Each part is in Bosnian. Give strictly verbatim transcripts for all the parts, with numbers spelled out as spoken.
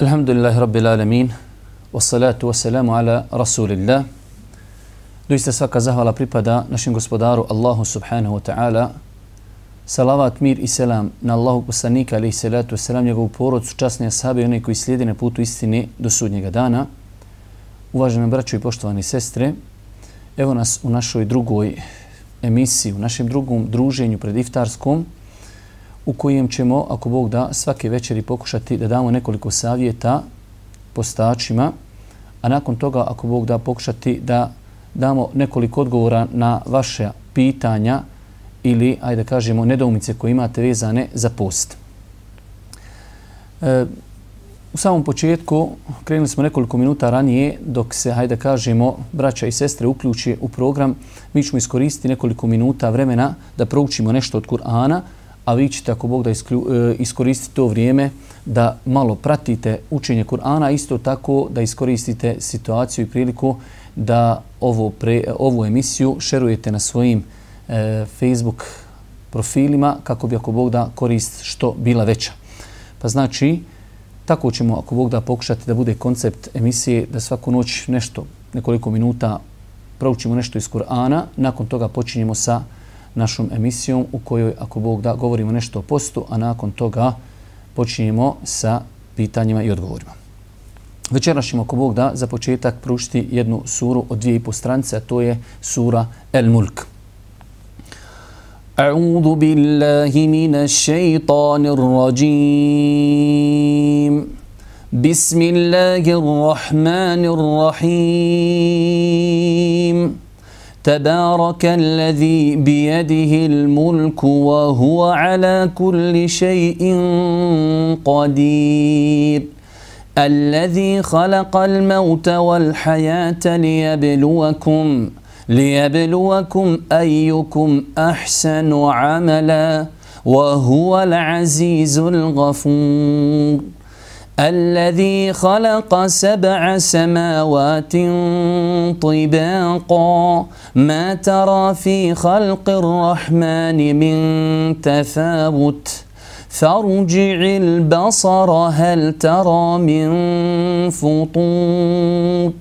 Alhamdulillahi Rabbil Alamin, wassalatu wassalamu ala Rasulillah. Doista svaka zahvala pripada našem gospodaru Allahu subhanahu wa ta'ala. Salavat, mir i selam na Allahu poslanika, alaihi salatu wassalam, njegovu porodcu, časne ashabe i one koji slijede na putu istine do sudnjega dana. Uvažene braćo i poštovani sestre, evo nas u našoj drugoj emisiji, u našem drugom druženju pred iftarskom, u kojem ćemo, ako Bog da, svake večeri pokušati da damo nekoliko savjeta postačima, a nakon toga, ako Bog da, pokušati da damo nekoliko odgovora na vaše pitanja ili, ajde da kažemo, nedoumice koje imate vezane za post. E, u samom početku krenuli smo nekoliko minuta ranije, dok se, ajde da kažemo, braća i sestre uključi u program, mi ćemo iskoristiti nekoliko minuta vremena da proučimo nešto od Kur'ana, a vi ćete, ako Bog da, iskoristiti to vrijeme da malo pratite učenje Kur'ana, isto tako da iskoristite situaciju i priliku da ovo pre, ovu emisiju šerujete na svojim e, Facebook profilima kako bi, ako Bog da, korist što bila veća. Pa znači, tako ćemo, ako Bog da, pokušati da bude koncept emisije da svaku noć nešto, nekoliko minuta proučimo nešto iz Kur'ana, nakon toga počinjemo sa našom emisijom u kojoj, ako Bog da, govorimo nešto o postu, a nakon toga počinjemo sa pitanjima i odgovorima. Večeras ćemo, ako Bog da, za početak proučiti jednu suru od dvije i po stranice, a to je sura El-Mulk. A'udhu billahi minash shaitanir rajim. Bismillahirrahmanirrahim. تبارك الذي بيده الملك وهو على كل شيء قدير الذي خلق الموت والحياة ليبلوكم ليبلوكم أيكم أحسن عملا وهو العزيز الغفور الذي خلق سبع سماوات طباقا ما ترى في خلق الرحمن من تفاوت فارجع البصر هل ترى من فطور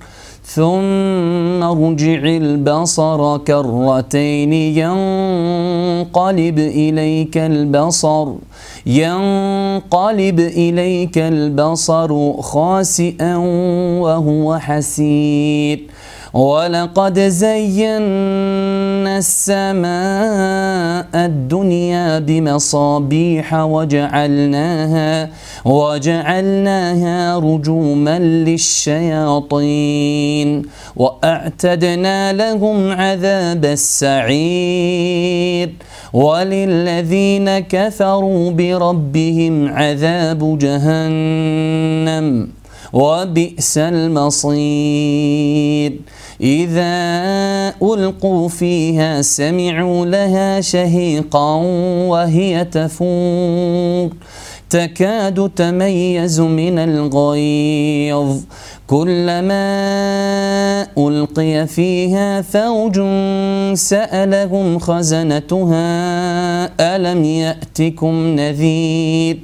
ثم ارجع البصر كرتين ينقلب إليك البصر ينقلب إليك البصر خاسئا وهو حسير ولقد زينا السماء الدنيا بمصابيح وجعلناها وجعلناها رجوما للشياطين وأعتدنا لهم عذاب السعير وللذين كفروا بربهم عذاب جهنم وبئس المصير إذا ألقوا فيها سمعوا لها شهيقا وهي تفور تكاد تميز من الغيظ كلما ألقي فيها فوج سألهم خزنتها ألم يأتكم نذير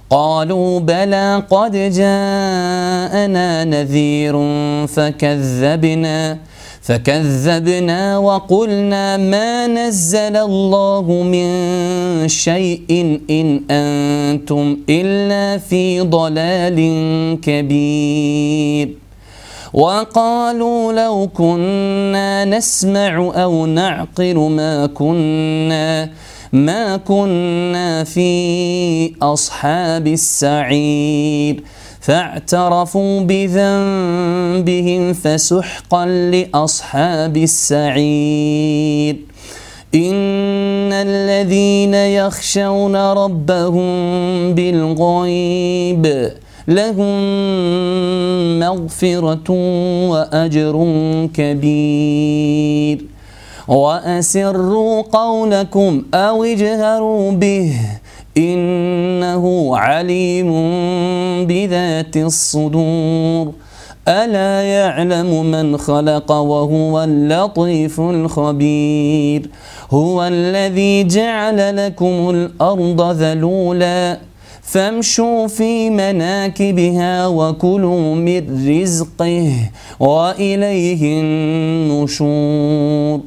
قالوا بلى قد جاءنا نذير فكذبنا فكذبنا وقلنا ما نزل الله من شيء إن أنتم إلا في ضلال كبير وقالوا لو كنا نسمع أو نعقل ما كنا ما كنا في أصحاب السعير فاعترفوا بذنبهم فسحقا لأصحاب السعير إن الذين يخشون ربهم بالغيب لهم مغفرة وأجر كبير وأسروا قولكم أو اجهروا به إنه عليم بذات الصدور ألا يعلم من خلق وهو اللطيف الخبير هو الذي جعل لكم الأرض ذلولا فامشوا في مناكبها وكلوا من رزقه وإليه النشور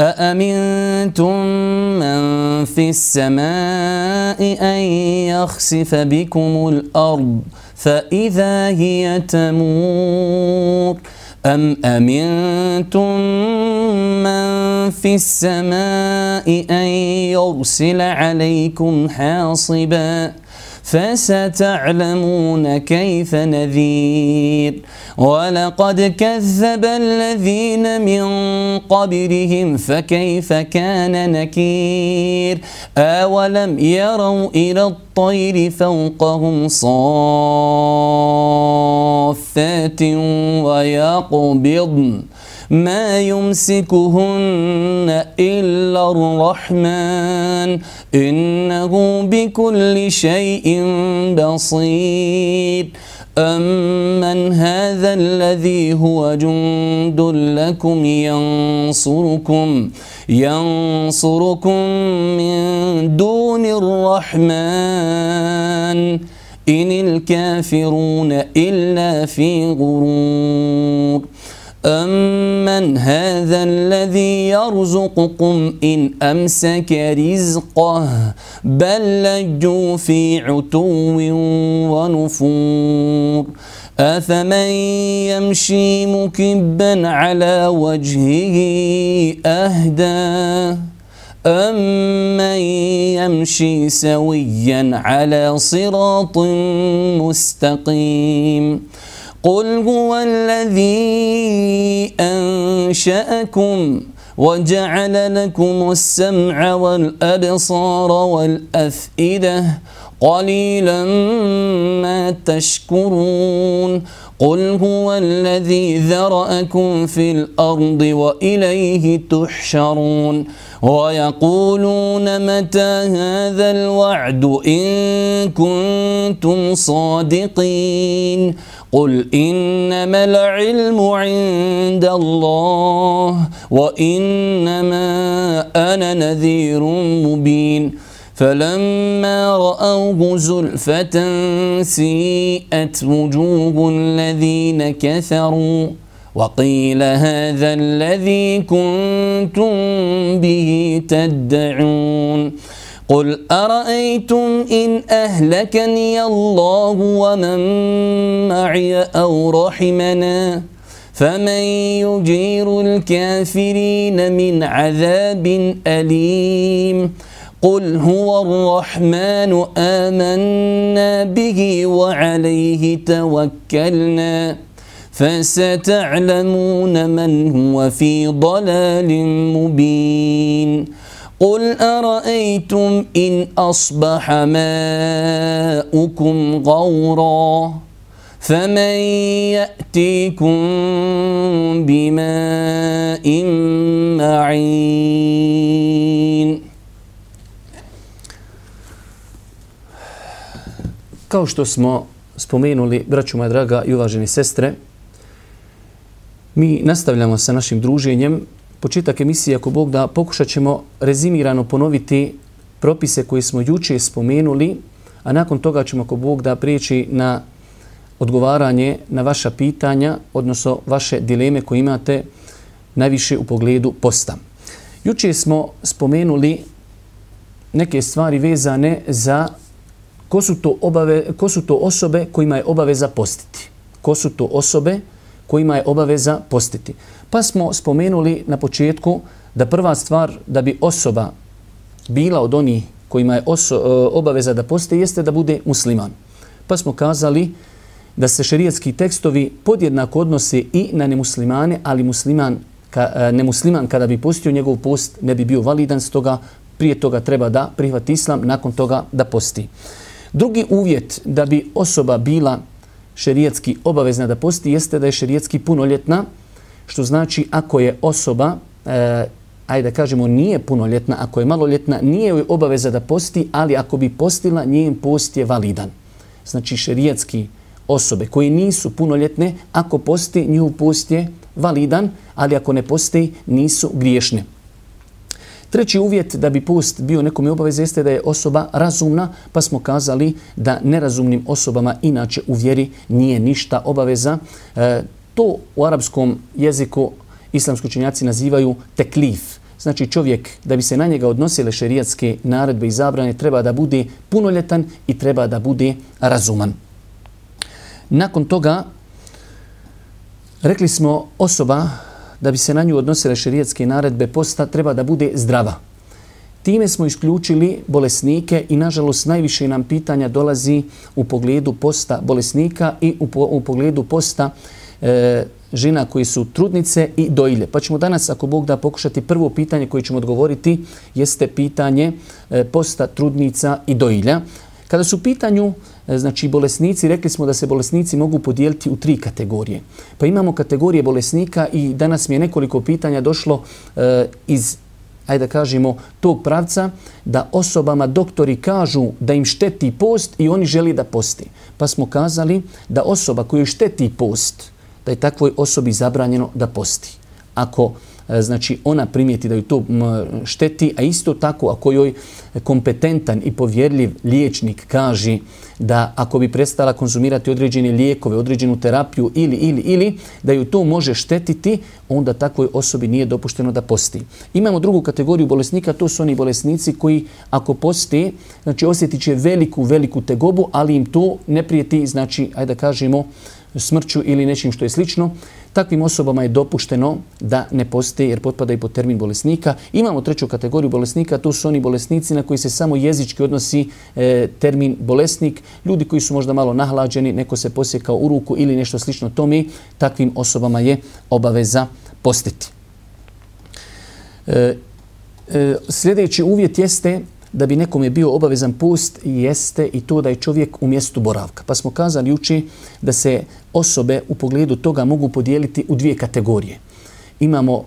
أأمنتم من في السماء أن يخسف بكم الأرض فإذا هي تمور أم أمنتم من في السماء أن يرسل عليكم حاصبا فستعلمون كيف نذير ولقد كذب الذين من قبلهم فكيف كان نكير أولم يروا إلى الطير فوقهم صافات ويقبضن ما يمسكهن إلا الرحمن إنه بكل شيء بصير أمن هذا الذي هو جند لكم ينصركم ينصركم من دون الرحمن إن الكافرون إلا في غرور أمن هذا الذي يرزقكم إن أمسك رزقه بل لجوا في عتو ونفور أفمن يمشي مكبا على وجهه أهدى أمن يمشي سويا على صراط مستقيم قل هو الذي أنشأكم وجعل لكم السمع والأبصار والأفئدة قليلا ما تشكرون قل هو الذي ذرأكم في الأرض وإليه تحشرون ويقولون متى هذا الوعد إن كنتم صادقين قل إنما العلم عند الله وإنما أنا نذير مبين فلما رأوه زلفة سيئت وجوه الذين كفروا وقيل هذا الذي كنتم به تدعون قل أرأيتم إن أهلكني الله ومن معي أو رحمنا فمن يجير الكافرين من عذاب أليم قل هو الرحمن آمنا به وعليه توكلنا فستعلمون من هو في ضلال مبين قل أرأيتم إن أصبح ماؤكم غورا فمن يأتيكم بماء معين. Kao što smo spomenuli, braćo moja draga i uvaženi sestre, mi nastavljamo sa našim druženjem. Početak emisije, ako Bog da, pokušat ćemo rezimirano ponoviti propise koje smo juče spomenuli, a nakon toga ćemo, ako Bog da, prijeći na odgovaranje na vaša pitanja, odnosno vaše dileme koje imate najviše u pogledu posta. Juče smo spomenuli neke stvari vezane za ko su to, obave, ko su to osobe kojima je obaveza postiti. Ko su to osobe kojima je obaveza postiti. Pa smo spomenuli na početku da prva stvar da bi osoba bila od onih kojima je oso, obaveza da posti jeste da bude musliman. Pa smo kazali da se šerijatski tekstovi podjednako odnose i na nemuslimane, ali musliman, ka, nemusliman kada bi postio njegov post ne bi bio validan, stoga prije toga treba da prihvati islam, nakon toga da posti. Drugi uvjet da bi osoba bila šerijatski obavezna da posti jeste da je šerijatski punoljetna, što znači ako je osoba e, ajde da kažemo, nije punoljetna, ako je maloljetna, nije joj obaveza da posti, ali ako bi postila, njen post je validan. Znači, šerijatski osobe koje nisu punoljetne, ako posti, njihov post je validan, ali ako ne posti, nisu griješne. Treći uvjet da bi post bio nekome obaveza jeste da je osoba razumna, pa smo kazali da nerazumnim osobama inače u vjeri nije ništa obaveza. E, to u arapskom jeziku islamski učenjaci nazivaju teklif. Znači čovjek, da bi se na njega odnosile šerijatske naredbe i zabrane, treba da bude punoljetan i treba da bude razuman. Nakon toga, rekli smo, osoba, da bi se na nju odnosile šerijatske naredbe posta, treba da bude zdrava. Time smo isključili bolesnike i, nažalost, najviše nam pitanja dolazi u pogledu posta bolesnika i u, po, u pogledu posta e, žena koji su trudnice i dojilje. Pa ćemo danas, ako Bog da, pokušati prvo pitanje koje ćemo odgovoriti, jeste pitanje e, posta trudnica i dojilja. Kada su u pitanju znači bolesnici, rekli smo da se bolesnici mogu podijeliti u tri kategorije. Pa imamo kategorije bolesnika i danas mi je nekoliko pitanja došlo e, iz, ajde da kažemo, tog pravca, da osobama doktori kažu da im šteti post i oni želi da posti. Pa smo kazali da osoba koju šteti post, da je takvoj osobi zabranjeno da posti. Ako znači ona primijeti da ju to šteti, a isto tako ako joj kompetentan i povjerljiv liječnik kaže da ako bi prestala konzumirati određene lijekove, određenu terapiju ili, ili, ili, da ju to može štetiti, onda takvoj osobi nije dopušteno da posti. Imamo drugu kategoriju bolesnika, to su oni bolesnici koji ako poste, znači osjetit će veliku, veliku tegobu, ali im to ne prijeti, znači, ajde da kažemo, smrću ili nečim što je slično. Takvim osobama je dopušteno da ne poste jer potpadaju pod termin bolesnika. Imamo treću kategoriju bolesnika, to su oni bolesnici na koji se samo jezički odnosi e, termin bolesnik. Ljudi koji su možda malo nahlađeni, neko se posjekao u ruku ili nešto slično tome, takvim osobama je obaveza postiti. E, e, sljedeći uvjet jeste da bi nekome bio obavezan post, jeste i to da je čovjek u mjestu boravka. Pa smo kazali juče da se osobe u pogledu toga mogu podijeliti u dvije kategorije. Imamo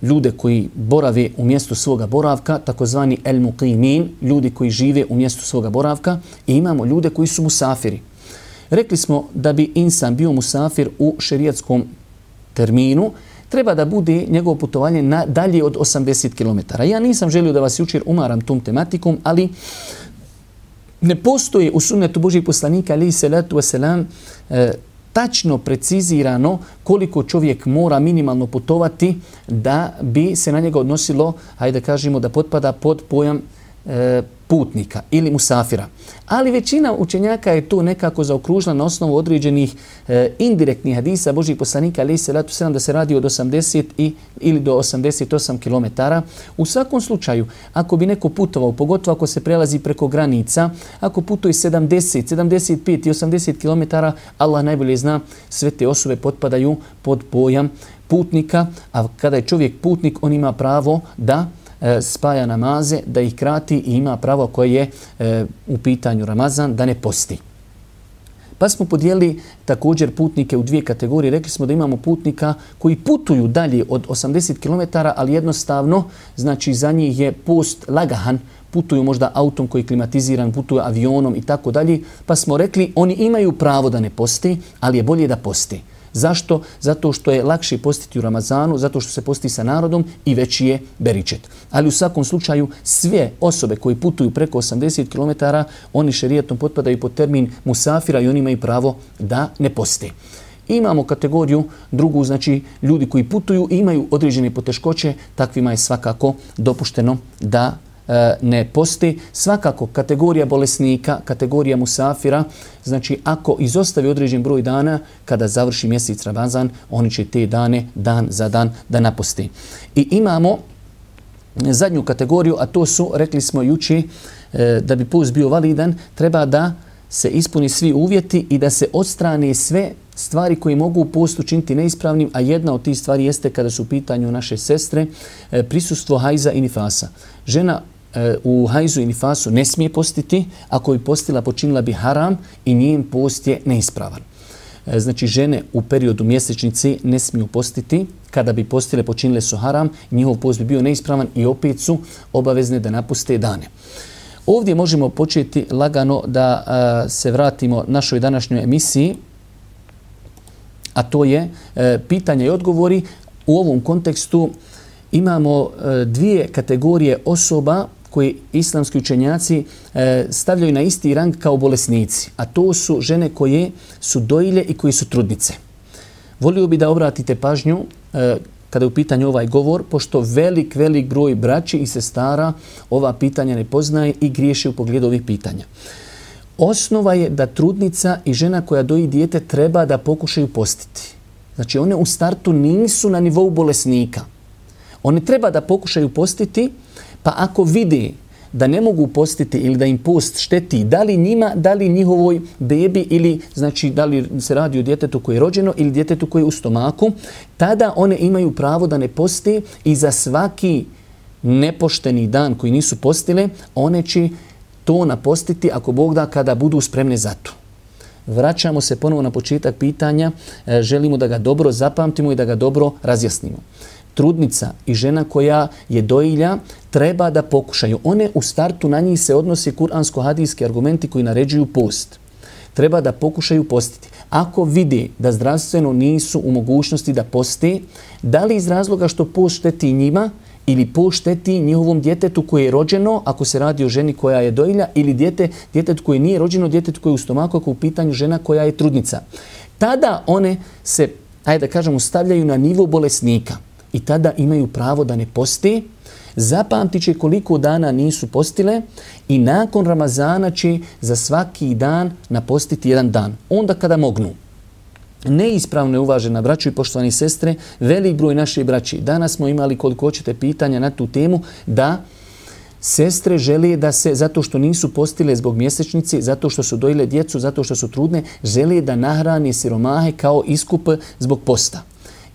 ljude koji borave u mjestu svoga boravka, takozvani el-muqimin, ljudi koji žive u mjestu svoga boravka, i imamo ljude koji su musafiri. Rekli smo da bi insan bio musafir u šerijatskom terminu, treba da bude njegovo putovanje na dalje od osamdeset kilometara. Ja nisam želio da vas jučer umaram tom tematikom, ali ne postoji u sunnetu Božijeg poslanika, alejhi salatu vesselam, e, tačno precizirano koliko čovjek mora minimalno putovati da bi se na njega odnosilo, hajde da kažemo, da potpada pod pojam e, putnika ili musafira. Ali većina učenjaka je to nekako zaokružila na osnovu određenih e, indirektnih hadisa Božjih poslanika, alejhi salatu vesselam, da se radi od osamdeset i, ili do osamdeset osam kilometara. U svakom slučaju, ako bi neko putovao, pogotovo ako se prelazi preko granica, ako putuje sedamdeset, sedamdeset pet i osamdeset kilometara, Allah najbolje zna, sve te osobe potpadaju pod pojam putnika, a kada je čovjek putnik, on ima pravo da spaja namaze, da ih krati i ima pravo koje je e, u pitanju Ramazan, da ne posti. Pa smo podijelili također putnike u dvije kategorije. Rekli smo da imamo putnika koji putuju dalje od osamdeset kilometara, ali jednostavno, znači za njih je post lagahan, putuju možda autom koji je klimatiziran, putuju avionom i tako dalje, pa smo rekli oni imaju pravo da ne posti, ali je bolje da posti. Zašto? Zato što je lakše postiti u Ramazanu, zato što se posti sa narodom i veći je beričet. Ali u svakom slučaju sve osobe koji putuju preko osamdeset kilometara, oni šerijatom potpadaju pod termin musafira i oni imaju pravo da ne poste. Imamo kategoriju drugu, znači ljudi koji putuju i imaju određene poteškoće, takvima je svakako dopušteno da ne posti. Svakako kategorija bolesnika, kategorija musafira, znači ako izostavi određen broj dana, kada završi mjesec Ramazan, oni će te dane dan za dan da naposti. I imamo zadnju kategoriju, a to su, rekli smo juče, da bi post bio validan, treba da se ispuni svi uvjeti i da se odstrane sve stvari koje mogu post učiniti neispravnim, a jedna od tih stvari jeste, kada su u pitanju naše sestre, prisustvo hajza i nifasa. Žena u hajzu i nifasu ne smije postiti, ako bi postila počinila bi haram i njen post je neispravan. Znači žene u periodu mjesečnice ne smiju postiti kada bi postile počinile su haram, njihov post bi bio neispravan i opet su obavezne da napuste dane. Ovdje možemo početi lagano da a, se vratimo našoj današnjoj emisiji, a to je e, pitanja i odgovori. U ovom kontekstu imamo e, dvije kategorije osoba koje islamski učenjaci e, stavljaju na isti rang kao bolesnici, a to su žene koje su dojilje i koje su trudnice. Volio bi da obratite pažnju e, kada je u pitanju ovaj govor, pošto velik, velik broj braći i sestara ova pitanja ne poznaje i griješe u pogledu ovih pitanja. Osnova je da trudnica i žena koja doji dijete treba da pokušaju postiti. Znači one u startu nisu na nivou bolesnika. One treba da pokušaju postiti, pa ako vide da ne mogu postiti ili da im post šteti, da li njima, da li njihovoj bebi ili znači da li se radi o djetetu koje je rođeno ili djetetu koje je u stomaku, tada one imaju pravo da ne poste i za svaki nepošteni dan koji nisu postile, one će to napostiti ako Bog da kada budu spremne za to. Vraćamo se ponovo na početak pitanja, želimo da ga dobro zapamtimo i da ga dobro razjasnimo. Trudnica i žena koja je dojilja treba da pokušaju. One u startu na njih se odnose kuransko-hadijski argumenti koji naređuju post. Treba da pokušaju postiti. Ako vide da zdravstveno nisu u mogućnosti da poste, da li iz razloga što post šteti njima ili post šteti njihovom djetetu koje je rođeno, ako se radi o ženi koja je dojilja, ili djete, djetetu koje nije rođeno, djetetu koje je u stomaku, ako u pitanju žena koja je trudnica. Tada one se, ajde da kažemo, stavljaju na nivo bolesnika. I tada imaju pravo da ne poste, zapamtit će koliko dana nisu postile i nakon Ramazana će za svaki dan napostiti jedan dan. Onda kada mognu. Neispravno je, uvažena braćo i poštovani sestre, velik broj naše braći. Danas smo imali koliko hoćete pitanja na tu temu da sestre žele da se, zato što nisu postile zbog mjesečnice, zato što su dojile djecu, zato što su trudne, žele da nahrane siromahe kao iskup zbog posta.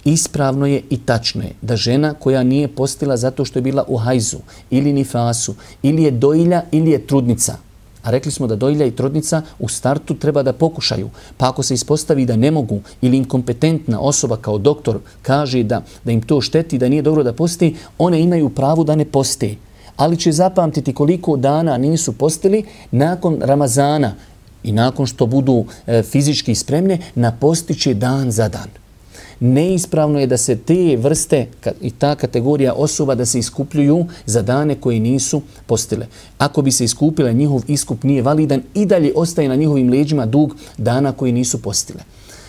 Ispravno je i tačno je da žena koja nije postila zato što je bila u hajzu ili nifasu, ili je dojilja ili je trudnica, a rekli smo da dojilja i trudnica u startu treba da pokušaju, pa ako se ispostavi da ne mogu ili inkompetentna osoba kao doktor kaže da, da im to šteti, da nije dobro da posti, one imaju pravo da ne poste. Ali će zapamtiti koliko dana nisu postili nakon Ramazana i nakon što budu e, fizički spremne, napostiće dan za dan. Neispravno je da se te vrste i ta kategorija osoba da se iskupljuju za dane koje nisu postile. Ako bi se iskupile, njihov iskup nije validan i dalje ostaje na njihovim leđima dug dana koji nisu postile.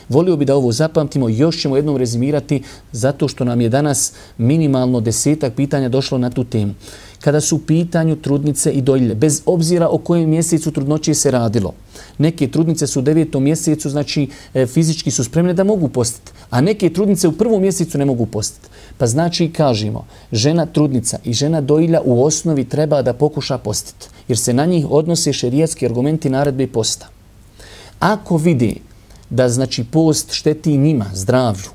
Volio bi da ovo zapamtimo, još ćemo jednom rezimirati zato što nam je danas minimalno desetak pitanja došlo na tu temu. Kada su u pitanju trudnice i dojilje, bez obzira o kojem mjesecu trudnoće se radilo. Neke trudnice su u devetom mjesecu, znači e, fizički su spremne da mogu postiti, a neke trudnice u prvom mjesecu ne mogu postiti. Pa znači kažemo, žena trudnica i žena dojilja u osnovi treba da pokuša postiti, jer se na njih odnose šerijatski argumenti naredbe posta. Ako vidi da znači post šteti njima, zdravlju,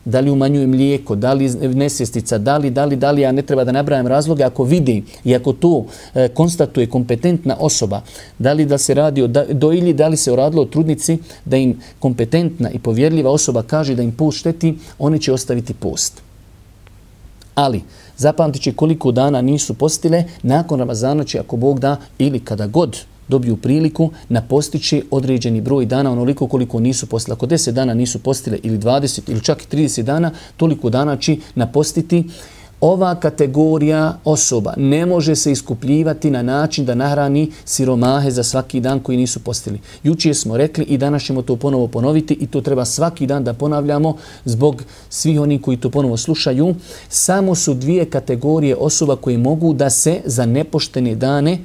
da li umanjuje mlijeko, da li nesvjestica, da li, da li, da li, ja ne treba da nabrajam razloge, ako vidi i ako to e, konstatuje kompetentna osoba, da li da se radi o dojilji, da li se radilo o trudnici, da im kompetentna i povjerljiva osoba kaže da im post šteti, one će ostaviti post. Ali, zapamtit će koliko dana nisu postile, nakon Ramazana će, ako Bog da, ili kada god dobiju priliku, napostići određeni broj dana, onoliko koliko nisu postile. Ako deset dana nisu postile ili dvadeset ili čak i trideset dana, toliko dana će napostiti. Ova kategorija osoba ne može se iskupljivati na način da nahrani siromahe za svaki dan koji nisu postili. Jučer smo rekli i danas ćemo to ponovo ponoviti i to treba svaki dan da ponavljamo zbog svih onih koji to ponovo slušaju. Samo su dvije kategorije osoba koje mogu da se za nepoštene dane,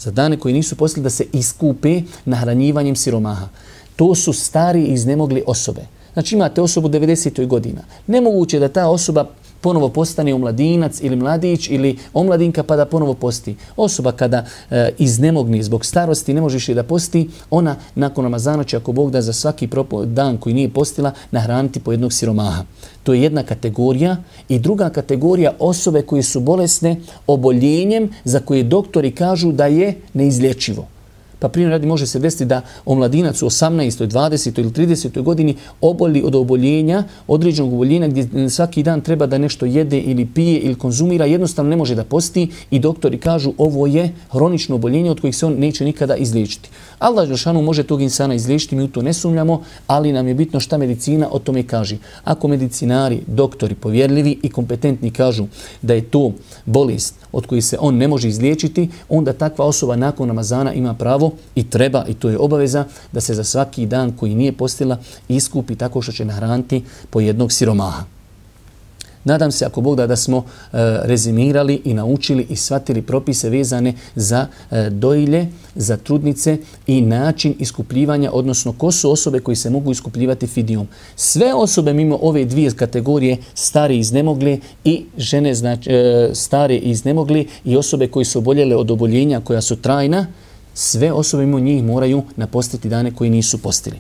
za dane koji nisu postili, da se iskupe nahranjivanjem siromaha. To su stari i iznemogli osobe. Znači imate osobu devedesetih godina. Nemoguće da ta osoba ponovo postane omladinac ili mladić ili omladinka pa da ponovo posti. Osoba kada e, iznemogni zbog starosti, ne možeš je da posti, ona nakon Ramazana će, ako Bog da, za svaki dan koji nije postila nahraniti po jednog siromaha. To je jedna kategorija. I druga kategorija osobe koje su bolesne oboljenjem za koje doktori kažu da je neizlječivo. Pa primjer radi može se desiti da omladinac u osamnaestoj, dvadesetoj ili tridesetoj godini oboli od oboljenja, određenog oboljenja gdje svaki dan treba da nešto jede ili pije ili konzumira, jednostavno ne može da posti i doktori kažu ovo je hronično oboljenje od kojih se on neće nikada izliječiti. Allah dželešanu može tog insana izliječiti, mi u to ne sumnjamo, ali nam je bitno šta medicina o tome kaže. Ako medicinari, doktori, povjerljivi i kompetentni kažu da je to bolest od kojih se on ne može izliječiti, onda takva osoba nakon Ramazana ima pravo i treba, i to je obaveza, da se za svaki dan koji nije postila iskupi tako što će nahraniti po jednog siromaha. Nadam se, ako Bog da, da smo e, rezimirali i naučili i shvatili propise vezane za e, dojilje, za trudnice i način iskupljivanja, odnosno ko su osobe koji se mogu iskupljivati fidijom. Sve osobe mimo ove dvije kategorije, stare i iznemogle i žene znači, e, stare i iznemogle i osobe koji su oboljele od oboljenja koja su trajna, sve osobe mimo njih moraju napostiti dane koji nisu postili.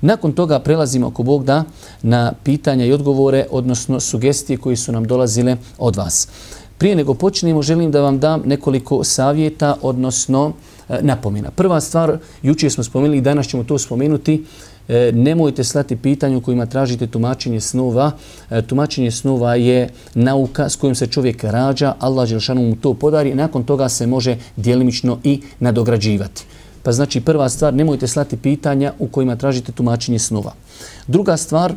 Nakon toga prelazimo, ako Bog da, na pitanja i odgovore, odnosno sugestije koje su nam dolazile od vas. Prije nego počnemo, želim da vam dam nekoliko savjeta, odnosno e, napomena. Prva stvar, jučer smo spomenuli i danas ćemo to spomenuti, e, nemojte slati pitanja u kojima tražite tumačenje snova. E, tumačenje snova je nauka s kojom se čovjek rađa, Allah dželešanu mu to podari, nakon toga se može djelimično i nadograđivati. Pa znači prva stvar, nemojte slati pitanja u kojima tražite tumačenje snova. Druga stvar,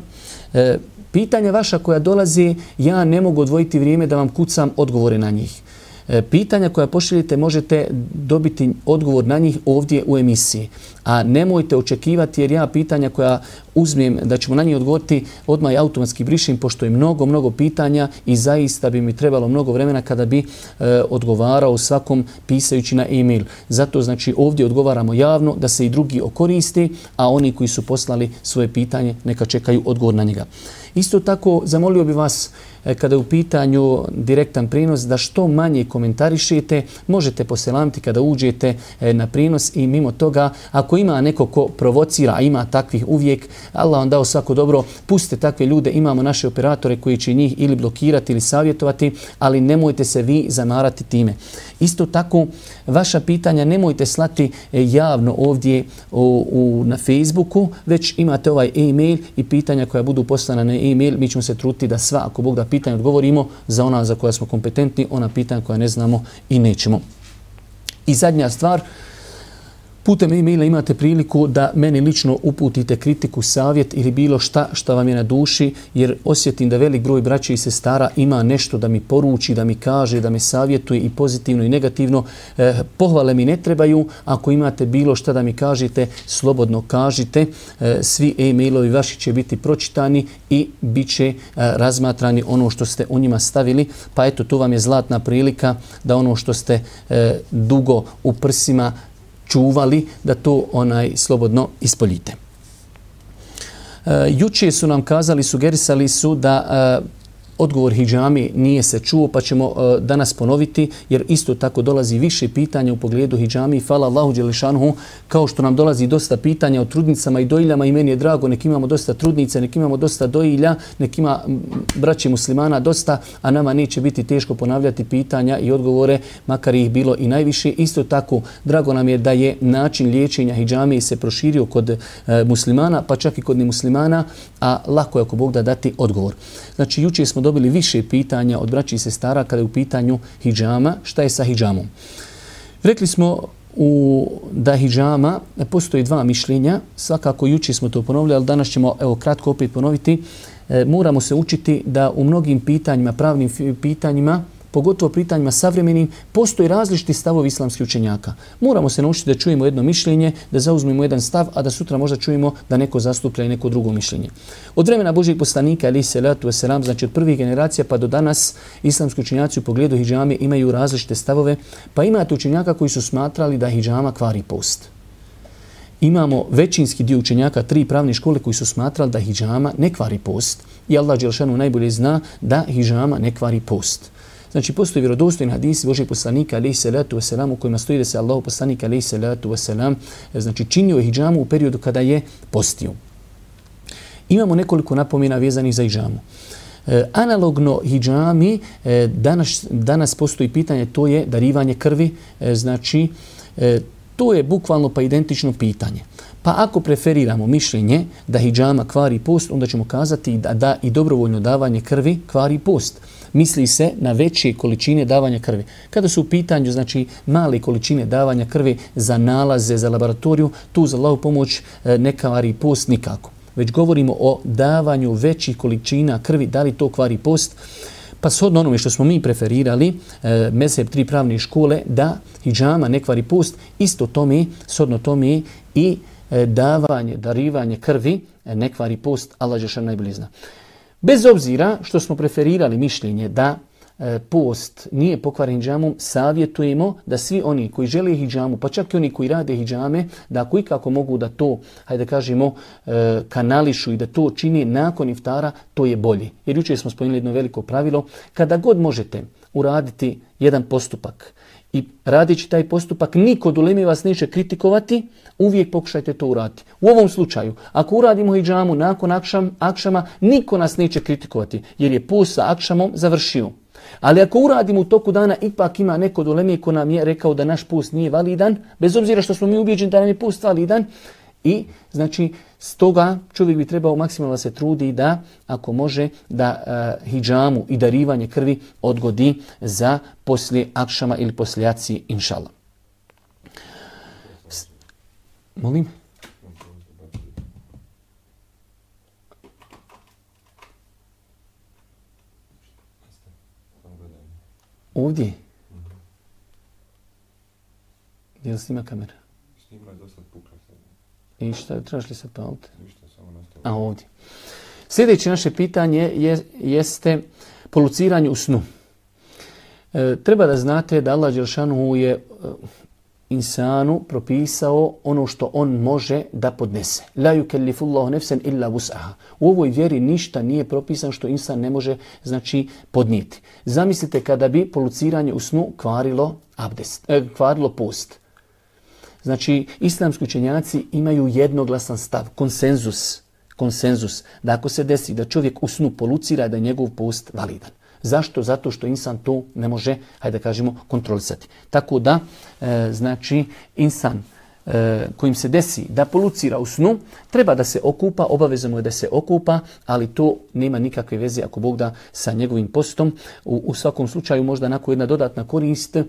e, pitanja vaša koja dolazi, ja ne mogu odvojiti vrijeme da vam kucam odgovore na njih. E, pitanja koja pošaljete možete dobiti odgovor na njih ovdje u emisiji. A nemojte očekivati, jer ja pitanja koja uzmem da ćemo na njih odgovoriti odmah automatski brišim, pošto je mnogo, mnogo pitanja i zaista bi mi trebalo mnogo vremena kada bi e, odgovarao svakom pisajući na e-mail. Zato znači ovdje odgovaramo javno da se i drugi okoristi, a oni koji su poslali svoje pitanje neka čekaju odgovor na njega. Isto tako zamolio bi vas e, kada je u pitanju direktan prinos da što manje komentarišete, možete poselamiti kada uđete e, na prinos i mimo toga ako ima neko ko provocira, a ima takvih uvijek, Allah vam dao svako dobro, pustite takve ljude, imamo naše operatore koji će njih ili blokirati ili savjetovati, ali nemojte se vi zamarati time. Isto tako, vaša pitanja nemojte slati javno ovdje u, u, na Facebooku, već imate ovaj e-mail i pitanja koja budu poslana na e-mail, mi ćemo se truditi da sva, ako Bog da, pitanja odgovorimo, za ona za koja smo kompetentni, ona pitanja koja ne znamo i nećemo. I zadnja stvar, putem e-maila imate priliku da meni lično uputite kritiku, savjet ili bilo šta što vam je na duši, jer osjetim da velik broj braće i sestara ima nešto da mi poruči, da mi kaže, da me savjetuje i pozitivno i negativno. E, pohvale mi ne trebaju. Ako imate bilo šta da mi kažete, slobodno kažite. E, svi e-mailovi vaši će biti pročitani i bit će e, razmatrani ono što ste u njima stavili. Pa eto, tu vam je zlatna prilika da ono što ste e, dugo u prsima čuvali, da to onaj slobodno ispoljite. E, juče su nam kazali, sugerisali su da e, odgovor hidžami nije se čuo, pa ćemo uh, danas ponoviti, jer isto tako dolazi više pitanja u pogledu hidžami. Hvala Allahu dželešanuhu, kao što nam dolazi dosta pitanja o trudnicama i dojiljama i meni je drago, nek imamo dosta trudnica, nek imamo dosta dojilja, nek ima braće muslimana dosta, a nama neće biti teško ponavljati pitanja i odgovore, makar ih bilo i najviše. Isto tako, drago nam je da je način liječenja hidžami se proširio kod uh, muslimana, pa čak i kod nemuslimana, a lako je ako Bog da dati odgovor. Znači, juče smo dobili više pitanja od braći i sestara kada je u pitanju hidžama. Šta je sa hidžamom? Rekli smo u, da hidžama postoji dva mišljenja. Svakako juče smo to ponovili, ali danas ćemo evo kratko opet ponoviti. E, moramo se učiti da u mnogim pitanjima, pravnim pitanjima, pogotovo pitanjima savremenim, postoji različiti stavovi islamskih učenjaka. Moramo se naučiti da čujemo jedno mišljenje, da zauzmemo jedan stav, a da sutra možda čujemo da neko zastuplja i neko drugo mišljenje. Od vremena Božijeg poslanika, alejhi selatu vesselam, znači od prvih generacija pa do danas, islamski učenjaci u pogledu hidžame imaju različite stavove, pa imate učenjaka koji su smatrali da hidžama kvari post. Imamo većinski dio učenjaka, tri pravne škole koji su smatrali da hidžama ne kvari post. I Allah dželešanu najbolje zna da hidžama ne kvari post. Znači, postoji vjerodostojni hadisi Božijeg poslanika, alejhi selatu vesselam, u kojima stoji da se Allahov poslanik, alejhi selatu vesselam, znači činio je hidžamu u periodu kada je postio. Imamo nekoliko napomena vezanih za hidžamu. E, analogno hidžami, e, danas, danas postoji pitanje, to je darivanje krvi, e, znači, e, To je bukvalno pa identično pitanje. Pa ako preferiramo mišljenje da hidžama kvari post, onda ćemo kazati da, da i dobrovoljno davanje krvi kvari post. Misli se na veće količine davanja krvi. Kada su u pitanju znači male količine davanja krvi za nalaze, za laboratoriju, tu za Allahu pomoć ne kvari post nikako. Već govorimo o davanju većih količina krvi, da li to kvari post. Pa shodno onome što smo mi preferirali, e, mezheb tri pravne škole, da hidžama ne kvari post, isto tome, shodno tome i e, davanje, darivanje krvi e, ne kvari post, Allah dželle najbolje zna. Bez obzira što smo preferirali mišljenje da e, post nije pokvaren hidžamom, savjetujemo da svi oni koji žele hidžamu, pa čak i oni koji rade hidžame, da ako ikako mogu da to, hajde da kažemo, e, kanališu i da to čini nakon iftara, to je bolje. Jer jučer smo spomenuli jedno veliko pravilo, kada god možete uraditi jedan postupak i radići taj postupak, niko od uleme vas neće kritikovati, uvijek pokušajte to uraditi. U ovom slučaju, ako uradimo hidžamu nakon akšam, akšama, niko nas neće kritikovati, jer je post sa akšamom završio. Ali ako uradimo u toku dana, ipak ima neko od uleme ko nam je rekao da naš post nije validan, bez obzira što smo mi ubijeđeni da nam je post validan, i znači stoga čovjek bi trebao maksimalno se trudi da, ako može, da uh, hidžamu i darivanje krvi odgodi za poslije akšama ili poslije jaci, inšallah. S- Molim? Ovdje? Gdje li snima kamera? Snima je dosta pukla. I šta, trebaš li se paliti? Ništa, samo nastavljamo. A ovdje. Sljedeće naše pitanje je, jeste poluciranje u snu. E, treba da znate da Allah dželešanu je e, insanu propisao ono što on može da podnese. La yukellifullahu nefsen illa wus'aha. U ovoj vjeri ništa nije propisano što insan ne može znači podnijeti. Zamislite kada bi poluciranje u snu kvarilo abdest, e, kvarilo post. Znači, islamski učenjaci imaju jednoglasan stav, konsenzus, konsenzus, da ako se desi da čovjek u snu polucira, da je njegov post validan. Zašto? Zato što insan to ne može, hajde da kažemo, kontrolisati. Tako da, e, znači, insan e, kojim se desi da polucira u snu, treba da se okupa, obavezno je da se okupa, ali to nema nikakve veze, ako Bog da, sa njegovim postom. U, u svakom slučaju, možda nakon jedna dodatna korist, e,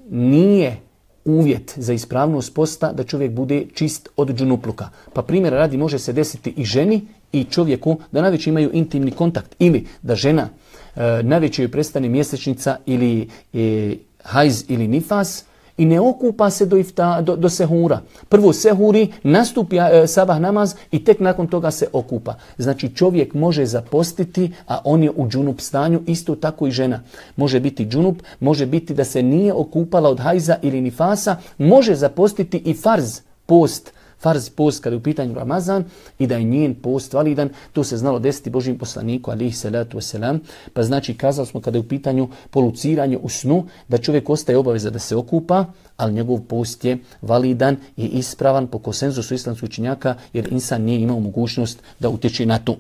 nije uvjet za ispravnost posta da čovjek bude čist od džunupluka. Pa primjer radi može se desiti i ženi i čovjeku da najveće imaju intimni kontakt ili da žena e, najveće joj prestane mjesečnica ili e, hajz ili nifas i ne okupa se do, ifta, do, do sehura. Prvo sehuri, nastupi e, sabah namaz i tek nakon toga se okupa. Znači čovjek može zapostiti, a on je u džunup stanju, isto tako i žena. Može biti džunup, može biti da se nije okupala od hajza ili nifasa, može zapostiti i farz post, farz post kada je u pitanju Ramazan i da je njen post validan. To se znalo desiti Božjem poslaniku alihi salatu wasalam. Pa znači kazali smo kada je u pitanju poluciranje u snu da čovjek ostaje obaveza da se okupa, ali njegov post je validan i ispravan po konsenzusu islamskih učenjaka jer insan nije imao mogućnost da utječe na to.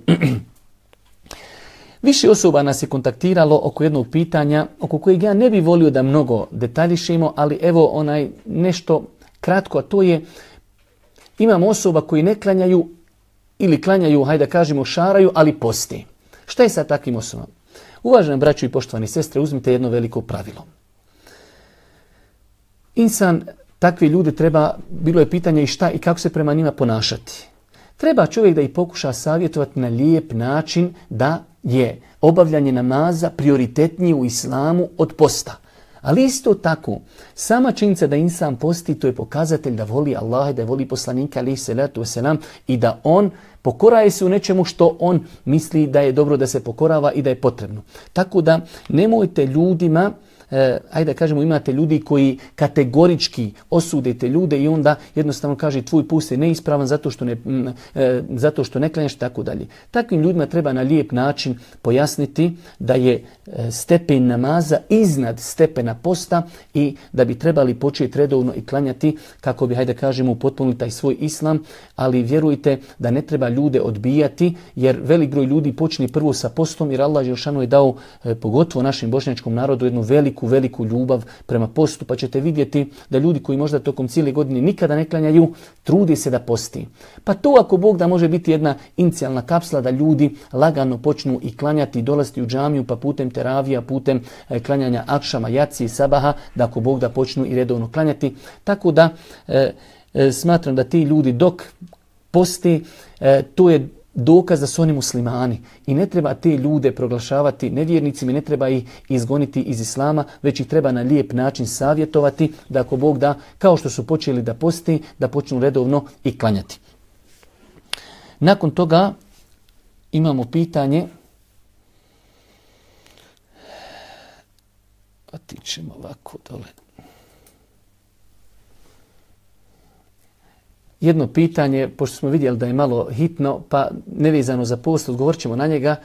Više osoba nas je kontaktiralo oko jednog pitanja oko kojeg ja ne bih volio da mnogo detaljišemo, ali evo onaj nešto kratko, a to je imamo osoba koji ne klanjaju ili klanjaju, hajde da kažemo, šaraju, ali poste. Šta je sa takvim osobama? Uvaženi braćo i poštovani sestre, uzmite jedno veliko pravilo. Insan, takvi ljudi treba, bilo je pitanje i šta i kako se prema njima ponašati. Treba čovjek da ih pokuša savjetovati na lijep način da je obavljanje namaza prioritetnije u islamu od posta. Ali isto tako, sama činjenica da insan posti, to je pokazatelj da voli Allaha i da voli poslanika alihi salatu wasalam i da on pokoraje se u nečemu što on misli da je dobro da se pokorava i da je potrebno. Tako da nemojte ljudima, eh, ajde da kažemo, imate ljudi koji kategorički osudite ljude i onda jednostavno kaže tvoj post je neispravan zato što ne, m, eh, zato što ne klanjaš, tako dalje. Takvim ljudima treba na lijep način pojasniti da je eh, stepen namaza iznad stepena posta i da bi trebali početi redovno i klanjati kako bi, hajde da kažemo, upotpunili taj svoj islam, ali vjerujte da ne treba ljude odbijati jer velik broj ljudi počne prvo sa postom jer Allah dželešanu je dao eh, pogotovo našem bošnjačkom narodu jednu veliku veliku, veliku ljubav prema postu, pa ćete vidjeti da ljudi koji možda tokom cijele godine nikada ne klanjaju, trudi se da posti. Pa to ako Bog da može biti jedna inicijalna kapsla da ljudi lagano počnu i klanjati i dolaziti u džamiju, pa putem teravija, putem e, klanjanja akšama, jaci i sabaha, da ako Bog da počnu i redovno klanjati. Tako da e, e, smatram da ti ljudi dok posti, e, to je dokaz da su oni muslimani i ne treba te ljude proglašavati nevjernicima, ne treba ih izgoniti iz islama, već ih treba na lijep način savjetovati da ako Bog da, kao što su počeli da posti, da počnu redovno i klanjati. Nakon toga imamo pitanje, pa tičemo ovako dole. Jedno pitanje, pošto smo vidjeli da je malo hitno, pa nevezano za post, odgovorit ćemo na njega.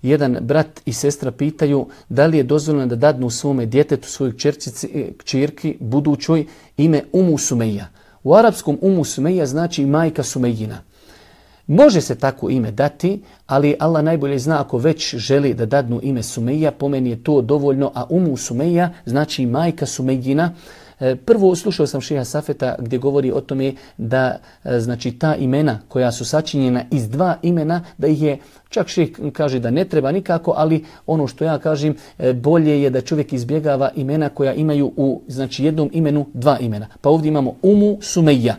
Jedan brat i sestra pitaju da li je dozvoljeno da dadnu svome djetetu, svojoj kćerki, budućoj, ime Umu Sumeja. U arapskom Umu Sumeja znači majka Sumejina. Može se tako ime dati, ali Allah najbolje zna ako već želi da dadnu ime Sumeja, po meni je to dovoljno, a Umu Sumeja znači majka Sumejina. Prvo slušao sam šeha Safeta gdje govori o tome da znači ta imena koja su sačinjena iz dva imena, da ih je, čak šeh kaže da ne treba nikako, ali ono što ja kažem, bolje je da čovjek izbjegava imena koja imaju u znači jednom imenu dva imena. Pa ovdje imamo Umu Sumeja.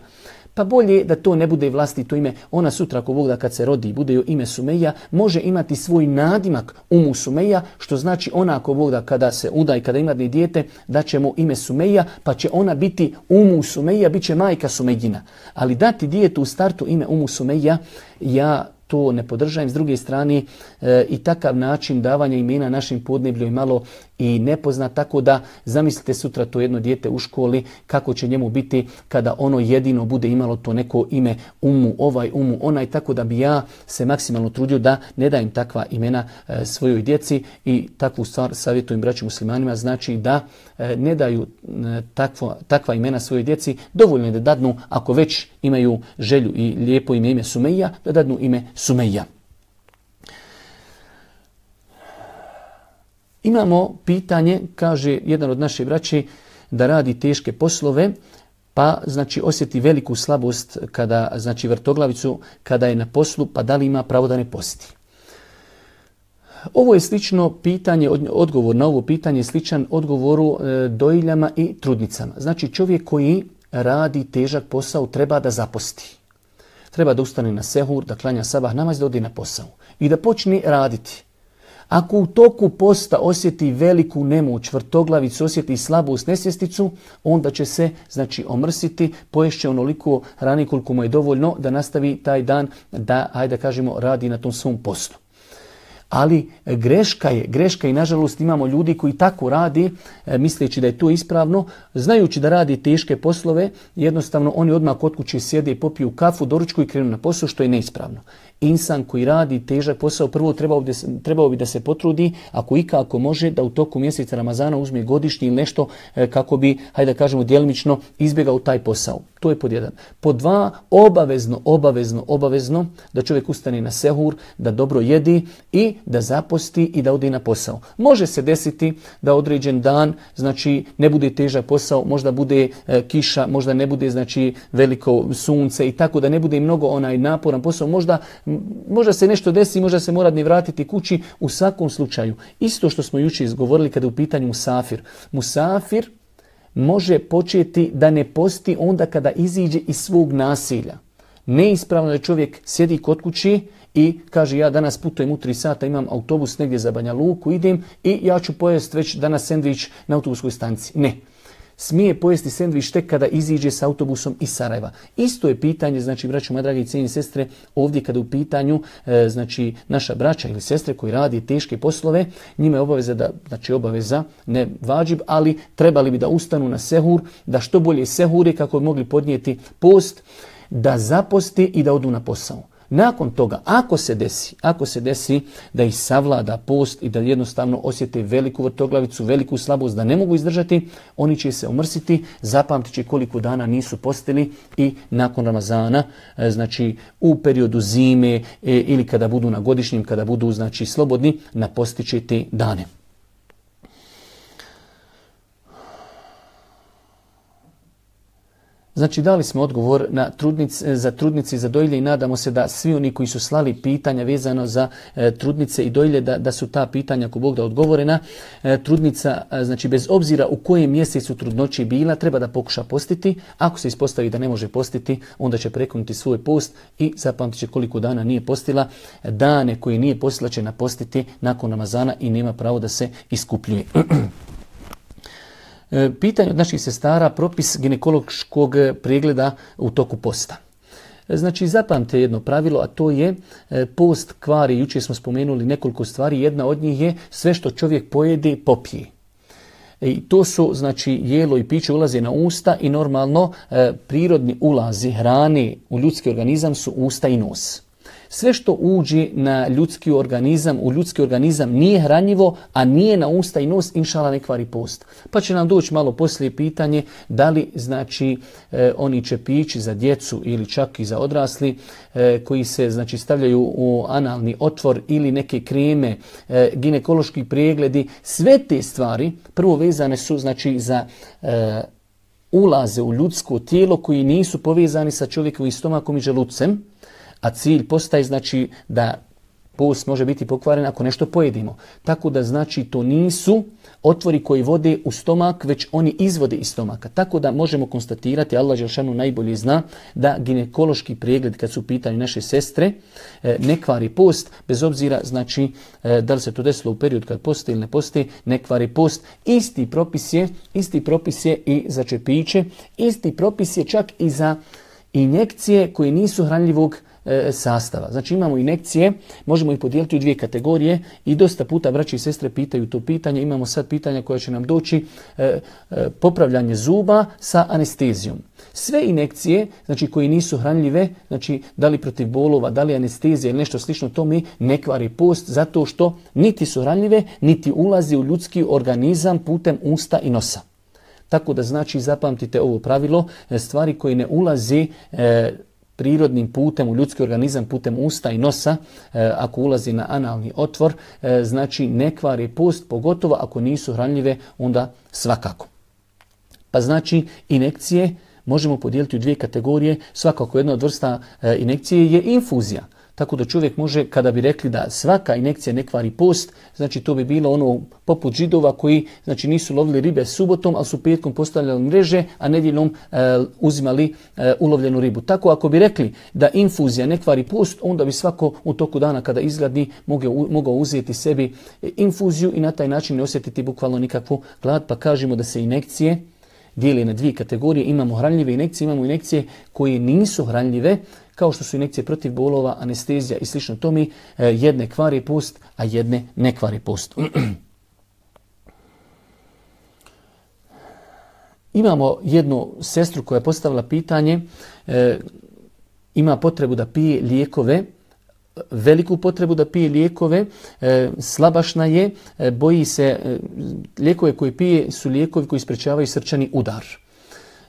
Pa bolje da to ne bude vlastito ime. Ona sutra ako Bog da kad se rodi i bude joj ime Sumeja, može imati svoj nadimak Umu Sumeja, što znači ona ako Bog da kada se uda i kada ima dijete, da će mu ime Sumeja, pa će ona biti Umu Sumeja, bit će majka Sumejina. Ali dati djetetu u startu ime Umu Sumeja, ja to ne podržavam. S druge strane e, i takav način davanja imena našim podneblju je malo i nepoznat, tako da zamislite sutra to jedno dijete u školi, kako će njemu biti kada ono jedino bude imalo to neko ime Umu, ovaj Umu, onaj, tako da bi ja se maksimalno trudio da ne dajem takva imena e, svojoj djeci i takvu stvar savjetujem braći muslimanima, znači da e, ne daju e, takvo, takva imena svojoj djeci, dovoljno je da dadnu, ako već imaju želju i lijepo ime, ime Sumeja, da dadnu ime Sumeja. Imamo pitanje, kaže jedan od naše braće, da radi teške poslove, pa znači osjeti veliku slabost kada znači vrtoglavicu kada je na poslu, pa da li ima pravo da ne posti. Ovo je slično pitanje, odgovor na ovo pitanje je sličan odgovoru e, dojiljama i trudnicama. Znači čovjek koji radi težak posao treba da zaposti. Treba da ustane na sehur, da klanja sabah namaz, da ode na posao i da počne raditi. Ako u toku posta osjeti veliku nemoć, vrtoglavicu, osjeti slabost, nesvjesticu, onda će se znači omrsiti, poješće onoliko hrane koliko mu je dovoljno da nastavi taj dan da, hajde da kažemo, radi na tom svom postu. Ali greška je, greška i nažalost imamo ljudi koji tako radi, e, misleći da je to ispravno, znajući da radi teške poslove, jednostavno oni odmah kod kuće sjede i popiju kafu, doručku i krenu na posao, što je neispravno. Insan koji radi težak posao, prvo trebao bi, trebao bi da se potrudi, ako ikako može, da u toku mjeseca Ramazana uzme godišnji ili nešto e, kako bi, hajde da kažemo, djelimično izbjegao taj posao. To je pod jedan. Pod dva, obavezno, obavezno, obavezno da čovjek ustane na sehur, da dobro jedi i da zaposti i da ode na posao. Može se desiti da određen dan, znači ne bude težak posao, možda bude e, kiša, možda ne bude znači veliko sunce i tako da ne bude mnogo onaj naporan posao, možda možda se nešto desi, možda se mora ni vratiti kući. U svakom slučaju, isto što smo jučer izgovorili kada je u pitanju musafir. Musafir može početi da ne posti onda kada iziđe iz svog naselja. Neispravno da čovjek sjedi kod kući i kaže ja danas putujem u tri sata, imam autobus negdje za Banja Luku, idem i ja ću pojesti već danas sendvič na autobuskoj stanici. Ne. Smije pojesti sendvič tek kada iziđe s autobusom iz Sarajeva. Isto je pitanje, znači braćo moje dragi i cijenjene sestre, ovdje kada u pitanju e, znači naša braća ili sestre koji radi teške poslove, njima je obaveza da, znači obaveza, ne vađib, ali trebali bi da ustanu na sehur, da što bolje sehuri kako bi mogli podnijeti post, da zaposti i da odu na posao. Nakon toga, ako se desi, ako se desi da ih savlada post i da jednostavno osjete veliku vrtoglavicu, veliku slabost, da ne mogu izdržati, oni će se omrsiti, zapamtit će koliko dana nisu postili i nakon Ramazana, znači u periodu zime ili kada budu na godišnjem, kada budu znači slobodni, napostit će te dane. Znači, dali smo odgovor na trudnice, za trudnice i za dojilje i nadamo se da svi oni koji su slali pitanja vezano za e, trudnice i dojilje, da, da su ta pitanja, ako Bog da, odgovorena. E, trudnica, e, znači, bez obzira u kojem mjesecu trudnoći bila, treba da pokuša postiti. Ako se ispostavi da ne može postiti, onda će prekinuti svoj post i zapamtit će koliko dana nije postila. Dane koje nije postila će napostiti nakon Ramazana i nema pravo da se iskupljuje. Pitanje od naših sestara, propis ginekološkog pregleda u toku posta. Znači, zapamte jedno pravilo, a to je post kvari. Jučer smo spomenuli nekoliko stvari. Jedna od njih je sve što čovjek pojede, popije. I to su, znači, jelo i piće ulaze na usta i normalno prirodni ulazi hrane u ljudski organizam su usta i nos. Sve što uđe na ljudski organizam, u ljudski organizam nije hranjivo, a nije na usta i nos, inšala ne kvari post. Pa će nam doći malo poslije pitanje da li, znači, e, oni čepići za djecu ili čak i za odrasli e, koji se, znači, stavljaju u analni otvor ili neke kreme, e, ginekološki pregledi, sve te stvari prvo vezane su, znači, za e, ulaze u ljudsko tijelo koji nisu povezani sa čovjekovim stomakom i želucem. A cilj postaje, znači, da post može biti pokvaren ako nešto pojedimo. Tako da, znači, to nisu otvori koji vode u stomak, već oni izvode iz stomaka. Tako da možemo konstatirati, Allah dželešanu najbolje zna, da ginekološki pregled, kad su u pitanju naše sestre, ne kvari post, bez obzira, znači, da li se to desilo u period kad poste ili ne poste, ne kvari post. Isti propis je, isti propis je i za čepiće, isti propis je čak i za injekcije koje nisu hranljivog sastava. Znači, imamo injekcije, možemo ih podijeliti u dvije kategorije i dosta puta braće i sestre pitaju to pitanje. Imamo sad pitanja koja će nam doći, e, e, popravljanje zuba sa anestezijom. Sve injekcije, znači, koje nisu hranljive, znači, da li protiv bolova, da li anestezija ili nešto slično tome, ne kvari post zato što niti su hranljive, niti ulazi u ljudski organizam putem usta i nosa. Tako da, znači, zapamtite ovo pravilo, stvari koje ne ulaze e, prirodnim putem u ljudski organizam, putem usta i nosa, e, ako ulazi na analni otvor, e, znači ne kvari post, pogotovo ako nisu hranljive, onda svakako. Pa znači, injekcije možemo podijeliti u dvije kategorije. Svakako jedna od vrsta e, injekcije je infuzija. Tako da čovjek može, kada bi rekli da svaka injekcija ne kvari post, znači to bi bilo ono poput Židova koji, znači, nisu lovili ribe subotom, ali su petkom postavljali mreže, a nedjeljom e, uzimali e, ulovljenu ribu. Tako ako bi rekli da infuzija ne kvari post, onda bi svako u toku dana kada izgladi mogao, mogao uzeti sebi infuziju i na taj način ne osjetiti bukvalno nikakvu glad. Pa kažemo da se injekcije dijeli na dvije kategorije. Imamo hranljive injekcije, imamo injekcije koje nisu hranljive, kao što su injekcije protiv bolova, anestezija i slično tome. Jedne kvari post, a jedne ne kvari post. Imamo jednu sestru koja je postavila pitanje, e, ima potrebu da pije lijekove, veliku potrebu da pije lijekove, e, slabašna je, e, boji se, e, lijekove koje pije su lijekovi koji sprečavaju srčani udar.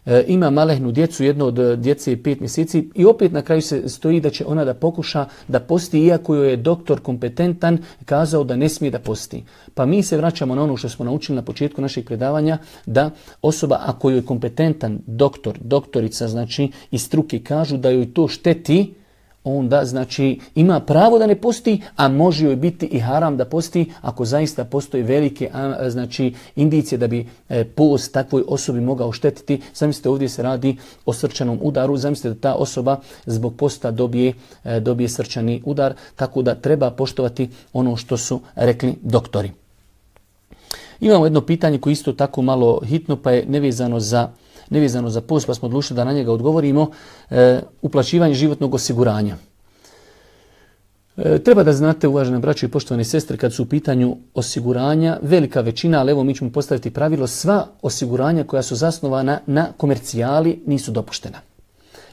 E, ima malehnu djecu, jedno od djece je pet mjeseci i opet na kraju se stoji da će ona da pokuša da posti, iako joj je doktor kompetentan kazao da ne smije da posti. Pa mi se vraćamo na ono što smo naučili na početku našeg predavanja, da osoba, ako joj je kompetentan doktor, doktorica, znači iz struke kažu da joj to šteti, onda, znači, ima pravo da ne posti, a može joj biti i haram da posti ako zaista postoji velike, znači, indicije da bi post takvoj osobi mogao štetiti. Zamislite, ovdje se radi o srčanom udaru, zamislite da ta osoba zbog posta dobije, dobije srčani udar, tako da treba poštovati ono što su rekli doktori. Imamo jedno pitanje koje isto tako malo hitno, pa je nevezano za nevezano za post, pa smo odlučili da na njega odgovorimo. E, uplaćivanje životnog osiguranja. E, treba da znate, uvažene braće i poštovane sestre, kad su u pitanju osiguranja, velika većina, ali evo mi ćemo postaviti pravilo, sva osiguranja koja su zasnovana na komercijali nisu dopuštena.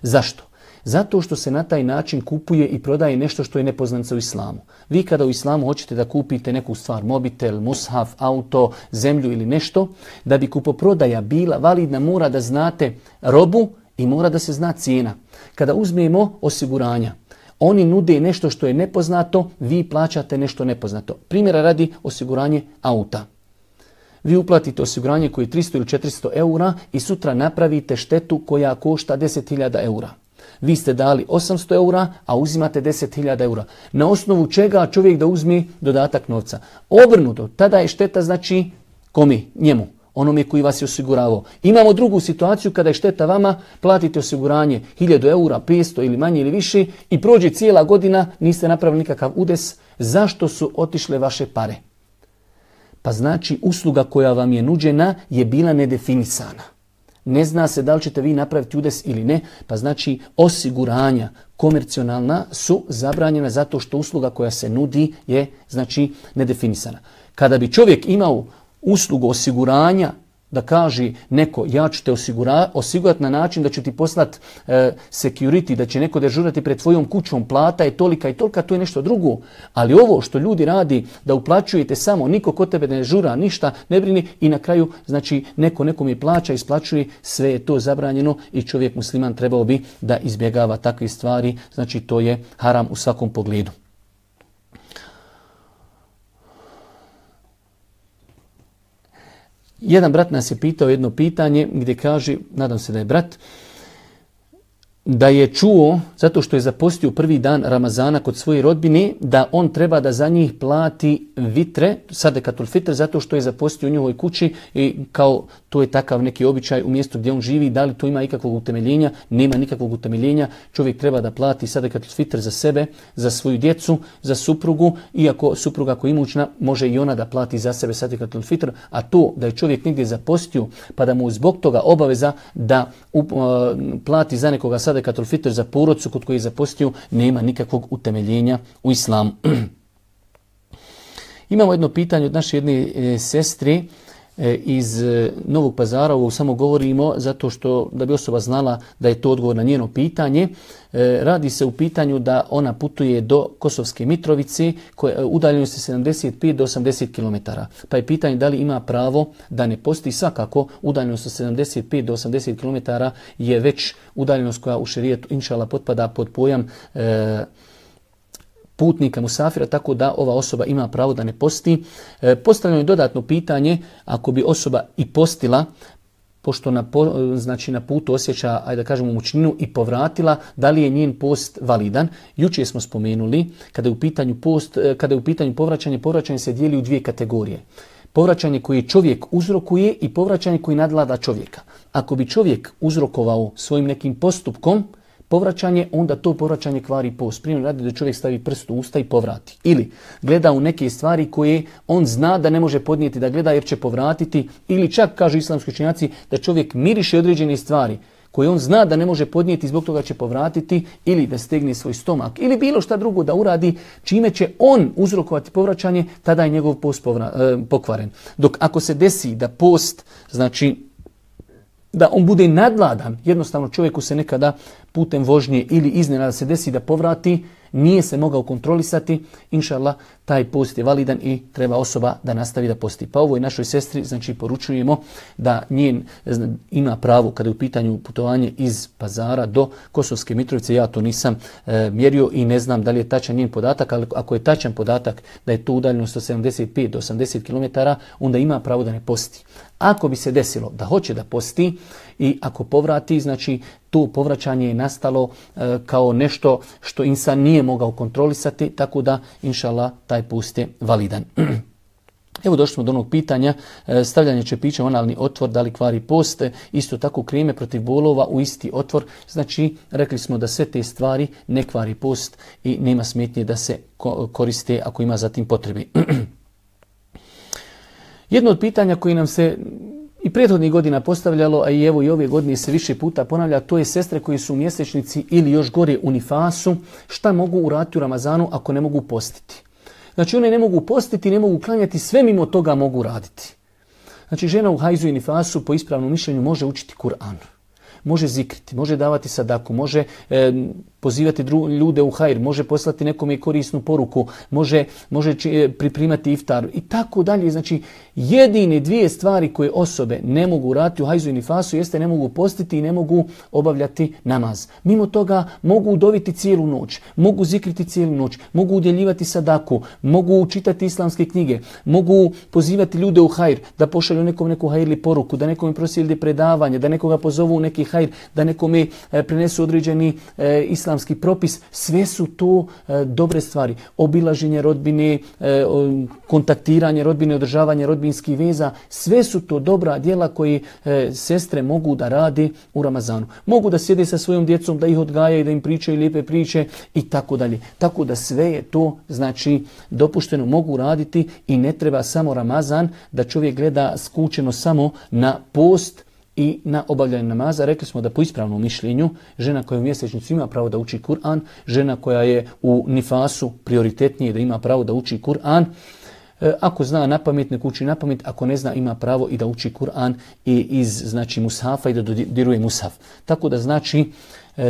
Zašto? Zato što se na taj način kupuje i prodaje nešto što je nepoznanica u islamu. Vi kada u islamu hoćete da kupite neku stvar, mobitel, mushaf, auto, zemlju ili nešto, da bi kupoprodaja bila validna, mora da znate robu i mora da se zna cijena. Kada uzmemo osiguranja, oni nude nešto što je nepoznato, vi plaćate nešto nepoznato. Primjera radi, osiguranje auta. Vi uplatite osiguranje koje je tristo ili četiristo eura i sutra napravite štetu koja košta deset hiljada eura. Vi ste dali osamsto eura, a uzimate deset hiljada eura. Na osnovu čega čovjek da uzme dodatak novca? Obrnuto, tada je šteta znači kome? Njemu, onome koji vas je osiguravao. Imamo drugu situaciju kada je šteta vama, platite osiguranje hiljadu eura, petsto ili manje ili više i prođe cijela godina, niste napravili nikakav udes. Zašto su otišle vaše pare? Pa znači usluga koja vam je nuđena je bila nedefinisana. Ne zna se da li ćete vi napraviti udes ili ne, pa znači osiguranja komercionalna su zabranjena zato što usluga koja se nudi je znači nedefinisana. Kada bi čovjek imao uslugu osiguranja, da kaže neko ja ću te osigura, osigurati na način da ću ti poslati e, security, da će neko dežurati pred tvojom kućom, plata je tolika i tolika, to je nešto drugo. Ali ovo što ljudi radi, da uplaćujete samo, niko kod tebe ne žura, ništa, ne brini i na kraju znači neko nekom je plaća, isplaćuje, sve je to zabranjeno i čovjek musliman trebao bi da izbjegava takve stvari, znači to je haram u svakom pogledu. Jedan brat nas je pitao jedno pitanje gdje kaže, nadam se da je brat, da je čuo, zato što je zapostio prvi dan Ramazana kod svoje rodbine, da on treba da za njih plati vitre, sadekatul fitr, zato što je zapostio u njihovoj kući i kao to je takav neki običaj u mjestu gdje on živi. Da li to ima ikakvog utemeljenja? Nema nikakvog utemeljenja. Čovjek treba da plati sadekatul fitr za sebe, za svoju djecu, za suprugu, iako supruga koja je imućna može i ona da plati za sebe sadekatul fitr, a to da je čovjek negdje zapostio pa da mu zbog toga obaveza da up, uh, plati za nekoga sadekatul fitr za porodcu kod koji je zapostio, nema nikakvog utemeljenja u islamu. Imamo jedno pitanje od naše jedne e, sestre e, iz e, Novog Pazara, ovo samo govorimo zato što da bi osoba znala da je to odgovor na njeno pitanje. E, radi se u pitanju da ona putuje do Kosovske Mitrovice, koje udaljeno se sedamdeset pet do osamdeset kilometara. Pa je pitanje da li ima pravo da ne posti. Svakako udaljenost sa sedamdeset pet do osamdeset kilometara je već udaljenost koja u šerijetu inšala potpada pod pojam e, putnika musafira, tako da ova osoba ima pravo da ne posti. E, postavljeno je dodatno pitanje, ako bi osoba i postila, pošto na, znači na putu osjeća, ajde da kažemo, mučninu i povratila, da li je njen post validan? Jučer smo spomenuli, kada je u pitanju post, kada je u pitanju povraćanje, povraćanje se dijeli u dvije kategorije. Povraćanje koje čovjek uzrokuje i povraćanje koje nadvlada čovjeka. Ako bi čovjek uzrokovao svojim nekim postupkom povraćanje, onda to povraćanje kvari post. Primjer radi da čovjek stavi prst u usta i povrati. Ili gleda u neke stvari koje on zna da ne može podnijeti da gleda jer će povratiti. Ili čak, kažu islamski učenjaci, da čovjek miriše određene stvari koje on zna da ne može podnijeti, zbog toga će povratiti, ili da stegne svoj stomak, ili bilo šta drugo da uradi, čime će on uzrokovati povraćanje, tada je njegov post povra, eh, pokvaren. Dok ako se desi da post, znači da on bude nadvladan, jednostavno čovjeku se nekada putem vožnje ili iznenada se desi da povrati, nije se mogao kontrolisati, inšallah, taj post je validan i treba osoba da nastavi da posti. Pa ovoj našoj sestri, znači, poručujemo da njen ima pravo kada je u pitanju putovanje iz Pazara do Kosovske Mitrovice. Ja to nisam e, mjerio i ne znam da li je tačan njen podatak, ali ako je tačan podatak da je to udaljenost od sedamdeset pet do osamdeset kilometara, onda ima pravo da ne posti. Ako bi se desilo da hoće da posti i ako povrati, znači to povraćanje je nastalo e, kao nešto što insan nije mogao kontrolisati, tako da, inšallah, taj post je validan. Evo došli smo do onog pitanja, e, stavljanje čepića u analni otvor, da li kvari post, isto tako kreme protiv bolova u isti otvor. Znači, rekli smo da sve te stvari ne kvari post i nema smetnje da se ko- koriste ako ima za tim potrebe. Jedno od pitanja koji nam se i prethodnih godina postavljalo, a i evo i ove godine se više puta ponavlja, to je sestre koji su u mjesečnici ili još gore u nifasu, šta mogu uraditi u Ramazanu ako ne mogu postiti. Znači one ne mogu postiti, ne mogu klanjati, sve mimo toga mogu raditi. Znači žena u hajzu i nifasu po ispravnom mišljenju može učiti Kur'an, može zikriti, može davati sadaku, može e, pozivati dru, ljude u hajr, može poslati nekome korisnu poruku, može, može či, pripremati iftar i tako dalje. Znači, jedine dvije stvari koje osobe ne mogu raditi u hajzu i nifasu jeste ne mogu postiti i ne mogu obavljati namaz. Mimo toga mogu udoviti cijelu noć, mogu zikriti cijelu noć, mogu udjeljivati sadaku, mogu čitati islamske knjige, mogu pozivati ljude u hajr, da pošalju nekom neku hajrli poruku, da nekome proslijede predavanje, da nekoga pozovu u neki hajr, da nekome e, prenesu određeni e, islamski propis. Sve su to e, dobre stvari. Obilaženje rodbine, e, kontaktiranje rodbine, održavanje rodbinskih veza, sve su to dobra djela koje e, sestre mogu da rade u Ramazanu. Mogu da sjede sa svojom djecom, da ih odgajaju, da im pričaju lijepe priče i tako dalje. Tako da sve je to znači dopušteno, mogu raditi i ne treba samo Ramazan da čovjek gleda skučeno samo na post i na obavljanje namaza. Rekli smo da po ispravnom mišljenju žena koja je u mjesečnicu ima pravo da uči Kur'an, žena koja je u nifasu prioritetnije da ima pravo da uči Kur'an. Ako zna napamet, nek uči napamet, ako ne zna ima pravo i da uči Kur'an i iz znači mushafa i da dodiruje mushaf. Tako da znači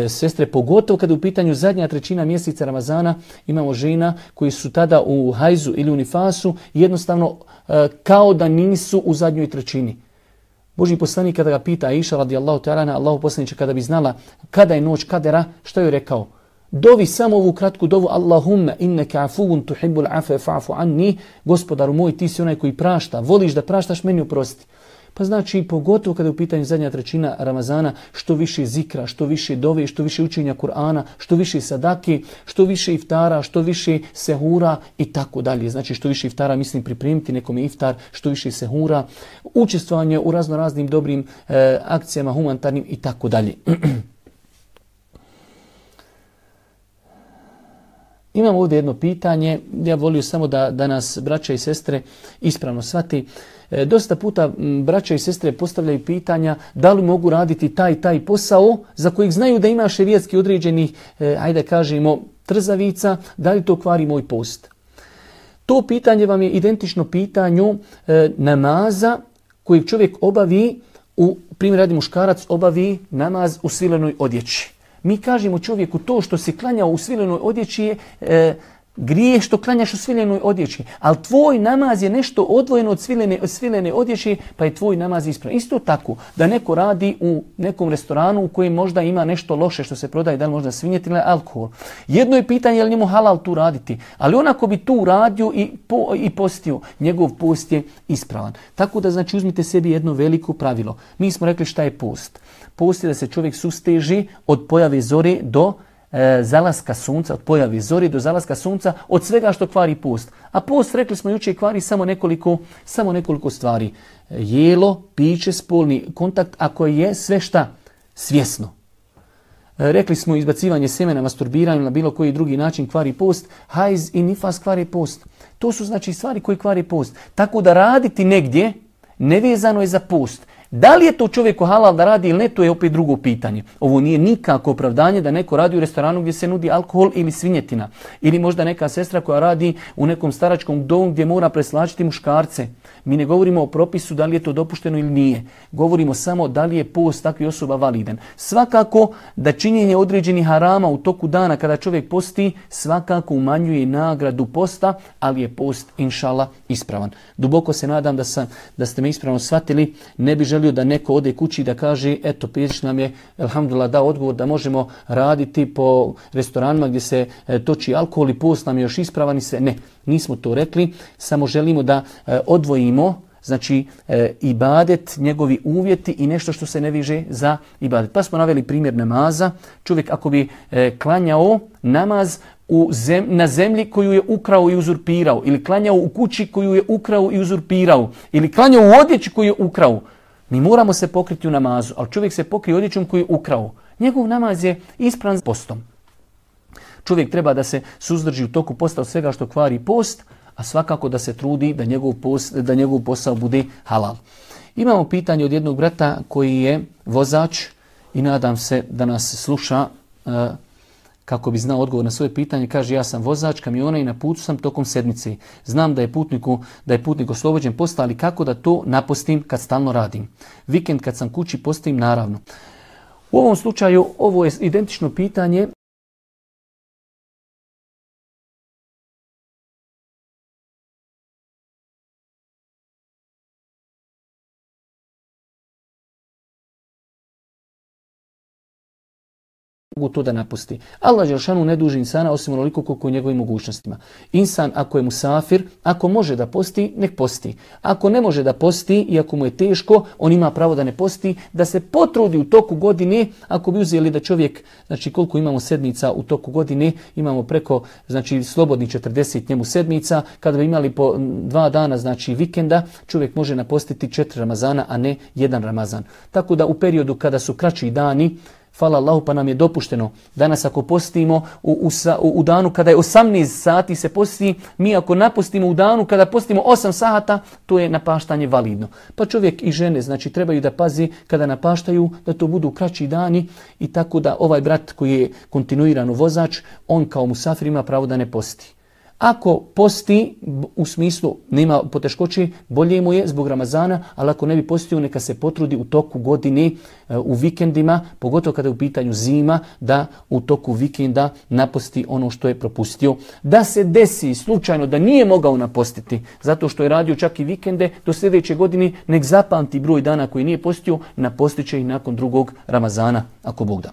sestre, pogotovo kada je u pitanju zadnja trećina mjeseca Ramazana, imamo žena koji su tada u hajzu ili u nifasu, jednostavno kao da nisu u zadnjoj trećini. Božji poslanik kada ga pita Aisha radijallahu ta'ala, Allahu poslaniče, kada bi znala kada je noć kadera, što je rekao? Dovi samo ovu kratku dovu, Allahumma innaka afuun tuhibbul afwa fa'fu anni, gospodaru moj, ti si onaj koji prašta, voliš da praštaš, meni oprosti. Pa znači, pogotovo kada je u pitanju zadnja trećina Ramazana, što više zikra, što više dove, što više učenja Kur'ana, što više sadake, što više iftara, što više sehura i tako dalje. Znači, što više iftara, mislim pripremiti nekome iftar, što više sehura, učestvovanje u razno raznim dobrim e, akcijama, humanitarnim i tako dalje. Imam ovdje jedno pitanje, ja volio samo da, da nas braća i sestre ispravno shvati. E, dosta puta m, braća i sestre postavljaju pitanja da li mogu raditi taj taj posao za kojeg znaju da ima šerijatski određenih, e, ajde kažemo, trzavica, da li to kvari moj post. To pitanje vam je identično pitanju e, namaza kojeg čovjek obavi, u primjer radi muškarac, obavi namaz u svilenoj odjeći. Mi kažemo čovjeku to što se klanja u svilenoj odjeći je e, grije što klanjaš u svilenoj odjeći. Ali tvoj namaz je nešto odvojeno od svilene, od svilene odjeći, pa je tvoj namaz ispravan. Isto tako da neko radi u nekom restoranu u kojem možda ima nešto loše što se prodaje, da li možda svinjetina ili alkohol. Jedno je pitanje je li njemu halal tu raditi. Ali onako bi tu radio i, po, i postio, njegov post je ispravan. Tako da znači uzmite sebi jedno veliko pravilo. Mi smo rekli šta je post. Post je da se čovjek susteži od pojave zore do e, zalaska sunca, od pojave zore do zalaska sunca, od svega što kvari post. A post, rekli smo jučer, kvari samo nekoliko, samo nekoliko stvari. Jelo, piće, spolni kontakt, ako je sve šta svjesno. E, rekli smo izbacivanje semena, masturbiranje na bilo koji drugi način kvari post, hajz i nifas kvari post. To su znači stvari koje kvari post. Tako da raditi negdje nevezano je za post. Da li je to čovjeku halal da radi ili ne, to je opet drugo pitanje. Ovo nije nikako opravdanje da neko radi u restoranu gdje se nudi alkohol ili svinjetina. Ili možda neka sestra koja radi u nekom staračkom domu gdje mora preslačiti muškarce. Mi ne govorimo o propisu da li je to dopušteno ili nije. Govorimo samo da li je post takvih osoba validan. Svakako da činjenje određenih harama u toku dana kada čovjek posti svakako umanjuje nagradu posta, ali je post inšala ispravan. Duboko se nadam da, sam, da ste me ispravno shvatili. Ne bi želio da neko ode kući da kaže eto Pirić nam je elhamdulillah dao odgovor da možemo raditi po restoranima gdje se e, toči alkohol i post nam je još ispravan i sve. Ne, nismo to rekli, samo želimo da e, odvojimo znači e, ibadet, njegovi uvjeti i nešto što se ne viže za ibadet. Pa smo naveli primjer namaza. Čovjek ako bi e, klanjao namaz u zem, na zemlji koju je ukrao i uzurpirao, ili klanjao u kući koju je ukrao i uzurpirao, ili klanjao u odjeći koju je ukrao, mi moramo se pokriti u namazu, ali čovjek se pokrije odjećom koju je ukrao. Njegov namaz je ispravan postom. Čovjek treba da se suzdrži u toku posta od svega što kvari post, a svakako da se trudi da njegov, post, da njegov posao bude halal. Imamo pitanje od jednog brata koji je vozač i nadam se da nas sluša uh, kako bi znao odgovor na svoje pitanje. Kaže, ja sam vozač kamiona i na putu sam tokom sedmice. Znam da je putniku da je putnik oslobođen posta, ali kako da to napostim kad stalno radim? Vikend kad sam kući postim naravno. U ovom slučaju ovo je identično pitanje mogu to da napusti. Allah dželešanu ne duži insana osim onoliko koliko u njegovim mogućnostima. Insan ako je musafir, ako može da posti, nek posti. Ako ne može da posti i ako mu je teško, on ima pravo da ne posti, da se potrudi u toku godine. Ako bi uzeli da čovjek, znači koliko imamo sedmica u toku godine, imamo preko znači slobodnih četrdeset njemu sedmica, kada bi imali po dva dana znači vikenda, čovjek može napostiti četiri Ramazana, a ne jedan Ramazan. Tako da u periodu kada su kraći dani, hvala Allahu, pa nam je dopušteno. Danas ako postimo u, u, u danu kada je osamnaest sati se posti, mi ako napostimo u danu kada postimo osam sata, to je napaštanje validno. Pa čovjek i žene znači trebaju da pazi kada napaštaju da to budu kraći dani i tako da ovaj brat koji je kontinuirano vozač, on kao musafir ima pravo da ne posti. Ako posti, u smislu nema poteškoći, bolje mu je zbog Ramazana, ali ako ne bi postio, neka se potrudi u toku godine, u vikendima, pogotovo kada je u pitanju zima, da u toku vikenda naposti ono što je propustio. Da se desi slučajno da nije mogao napostiti, zato što je radio čak i vikende, do sljedeće godine nek zapamti broj dana koji nije postio, napostit će ih nakon drugog Ramazana, ako Bog da.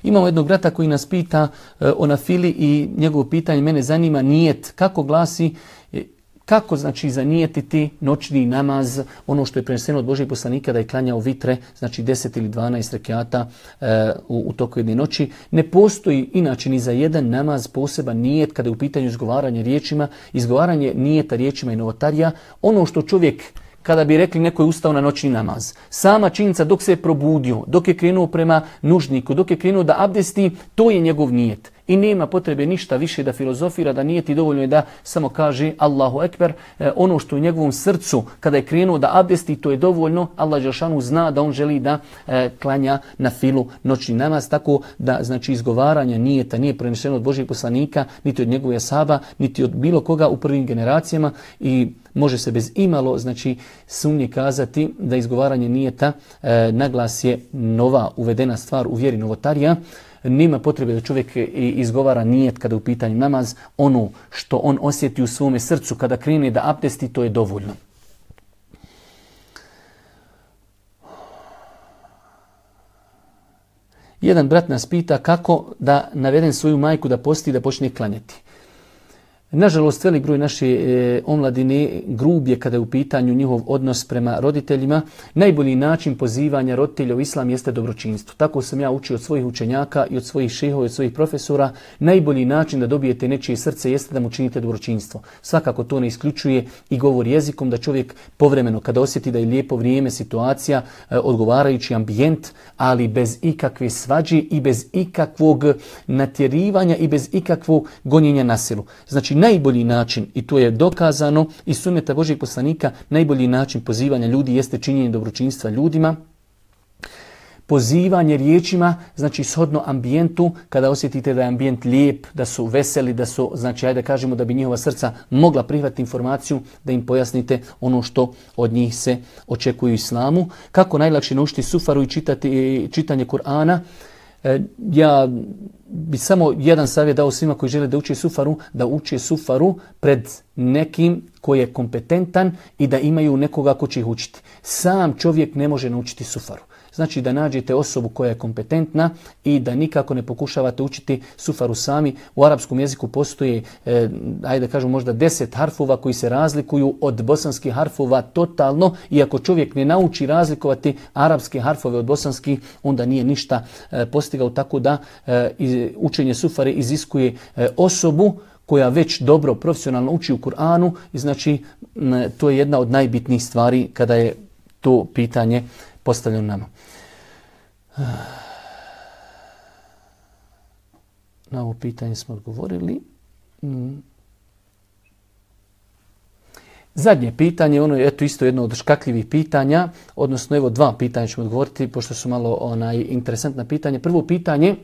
Imamo jednog brata koji nas pita e, o nafili i njegovo pitanje mene zanima nijet. Kako glasi, e, kako znači zanijetiti noćni namaz, ono što je preneseno od Božijeg poslanika da je klanjao vitre, znači deset ili dvanaest rekata e, u, u toku jedne noći. Ne postoji inače ni za jedan namaz poseban nijet kada je u pitanju izgovaranje riječima, izgovaranje nijeta riječima i novotarija. Ono što čovjek, kada bi rekli neko je ustao na noćni namaz, sama činjenica dok se je probudio, dok je krenuo prema nužniku, dok je krenuo da abdesti, to je njegov nijet. I nema potrebe ništa više da filozofira, da nijeti, dovoljno je da samo kaže Allahu Ekber. E, ono što u njegovom srcu, kada je krenuo da abdesti, to je dovoljno. Allah dželešanu zna da on želi da e, klanja na filu noćni namaz, tako da znači izgovaranje nijeta nije preneseno od Božijeg poslanika, niti od njegovih ashaba, niti od bilo koga u prvim generacijama i može se bez imalo znači sumnje kazati da izgovaranje nijeta e, naglas je nova uvedena stvar u vjeri novotarija. Nema potrebe da čovjek izgovara nijet kada u pitanju namaz. Ono što on osjeti u svome srcu kada krene da abdesti, to je dovoljno. Jedan brat nas pita kako da navedem svoju majku da posti i da počne klanjati. Nažalost, velik broj naše e, omladine grub je kada je u pitanju njihov odnos prema roditeljima. Najbolji način pozivanja roditelja u islam jeste dobročinstvo. Tako sam ja učio od svojih učenjaka i od svojih šehova i od svojih profesora. Najbolji način da dobijete nečije srce jeste da mu činite dobročinstvo. Svakako to ne isključuje i govor jezikom da čovjek povremeno kada osjeti da je lijepo vrijeme, situacija, e, odgovarajući ambijent, ali bez ikakve svađe i bez ikakvog natjerivanja i bez ikakvog gonjenja na silu. Znači, najbolji način, i to je dokazano iz sunneta Božijeg poslanika, najbolji način pozivanja ljudi jeste činjenje dobročinstva ljudima. Pozivanje riječima, znači shodno ambijentu, kada osjetite da je ambijent lijep, da su veseli, da su, znači ajde kažemo da bi njihova srca mogla prihvatiti informaciju, da im pojasnite ono što od njih se očekuje u islamu. Kako najlakše naučiti sufaru i čitati, čitanje Kur'ana? Ja bi samo jedan savjet dao svima koji žele da uče sufaru, da uče sufaru pred nekim koji je kompetentan i da imaju nekoga ko će ih učiti. Sam čovjek ne može naučiti sufaru. Znači da nađete osobu koja je kompetentna i da nikako ne pokušavate učiti sufaru sami. U arapskom jeziku postoje, eh, ajde da kažem, možda deset harfova koji se razlikuju od bosanskih harfova totalno. I ako čovjek ne nauči razlikovati arapske harfove od bosanskih, onda nije ništa eh, postigao. Tako da eh, učenje sufare iziskuje eh, osobu koja već dobro profesionalno uči u Kur'anu. I znači m, to je jedna od najbitnijih stvari kada je to pitanje postavljeno nama. Na ovo pitanje smo odgovorili. Zadnje pitanje, ono je eto isto jedno od škakljivih pitanja, odnosno evo dva pitanja ćemo odgovoriti, pošto su malo onaj interesantna pitanja. Prvo pitanje,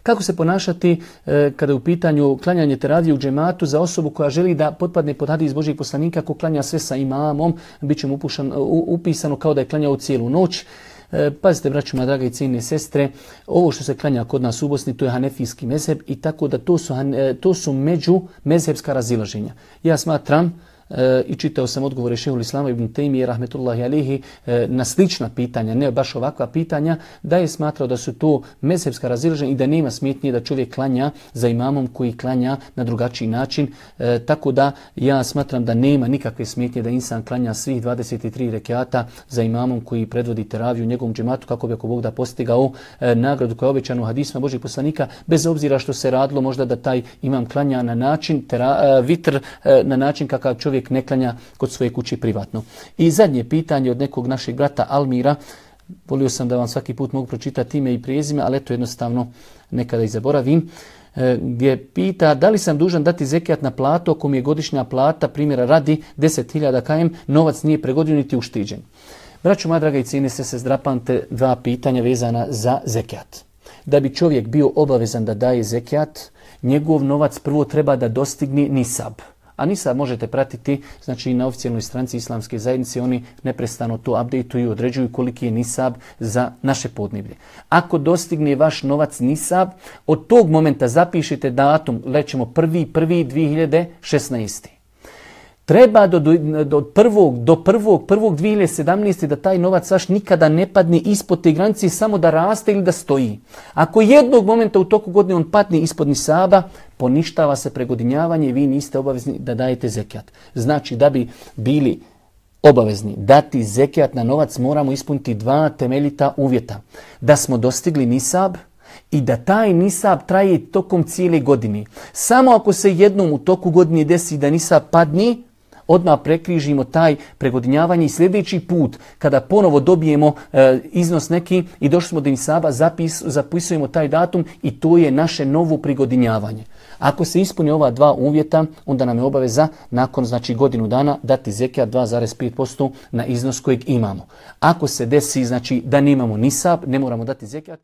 kako se ponašati e, kada je u pitanju klanjanje teravije u džematu za osobu koja želi da potpadne pod hadis Božijeg poslanika, ako klanja sve sa imamom, bit će mu upušan, u, upisano kao da je klanjao cijelu noć. E, pazite, braćo moja draga i cijenine sestre, ovo što se klanja kod nas u Bosni, to je hanefijski mezheb i tako da to su, to su među mezhebska razilaženja. Ja smatram e, i čitao sam odgovore šehul Islama ibn Tejmije rahmetullahi alihi e, na slična pitanja, ne baš ovakva pitanja, da je smatrao da su to mezhebska razilaženja i da nema smetnje da čovjek klanja za imamom koji klanja na drugačiji način. E, tako da ja smatram da nema nikakve smetnje da insan klanja svih dvadeset tri rekata za imamom koji predvodi teraviju u njegovom džematu kako bi ako Bog da postigao e, nagradu koja je obećana u hadisma Božih poslanika, bez obzira što se radilo možda da taj imam klanja na način tera, e, vitr e, na način kakav čovjek ne klanja kod svoje kuće privatno. I zadnje pitanje od nekog našeg brata Almira. Volio sam da vam svaki put mogu pročitati ime i prezime, ali eto jednostavno nekada i zaboravim. E, gdje pita da li sam dužan dati zekijat na platu ako mi je godišnja plata, primjera radi deset hiljada km, novac nije pregodinu niti uštiđen. Braćo moja draga i cijene se se zdrapante dva pitanja vezana za zekijat. Da bi čovjek bio obavezan da daje zekijat, njegov novac prvo treba da dostigne nisab. A nisab možete pratiti, znači na oficijalnoj stranici Islamske zajednice, oni neprestano to updateuju i određuju koliki je nisab za naše podneblje. Ako dostigne vaš novac nisab, od tog momenta zapišite datum, lećemo prvi prvi dvije hiljade šesnaeste. Treba do, do, do prvog, do prvog, prvog dvije hiljade sedamnaeste da taj novac vaš nikada ne padne ispod te granice, samo da raste ili da stoji. Ako jednog momenta u toku godine on padne ispod nisaba, poništava se pregodinjavanje i vi niste obavezni da dajete zekijat. Znači da bi bili obavezni dati zekijat na novac moramo ispuniti dva temeljita uvjeta. Da smo dostigli nisab i da taj nisab traje tokom cijele godine. Samo ako se jednom u toku godine desi da nisab padne, odmah prekrižimo taj pregodinjavanje i sljedeći put kada ponovo dobijemo e, iznos neki i došli smo do nisaba, zapis, zapisujemo taj datum i to je naše novo prigodinjavanje. Ako se ispuni ova dva uvjeta, onda nam je obaveza nakon znači godinu dana dati zekijat dva zarez pet posto na iznos kojeg imamo. Ako se desi znači da nemamo nisab, ne moramo dati zekijat.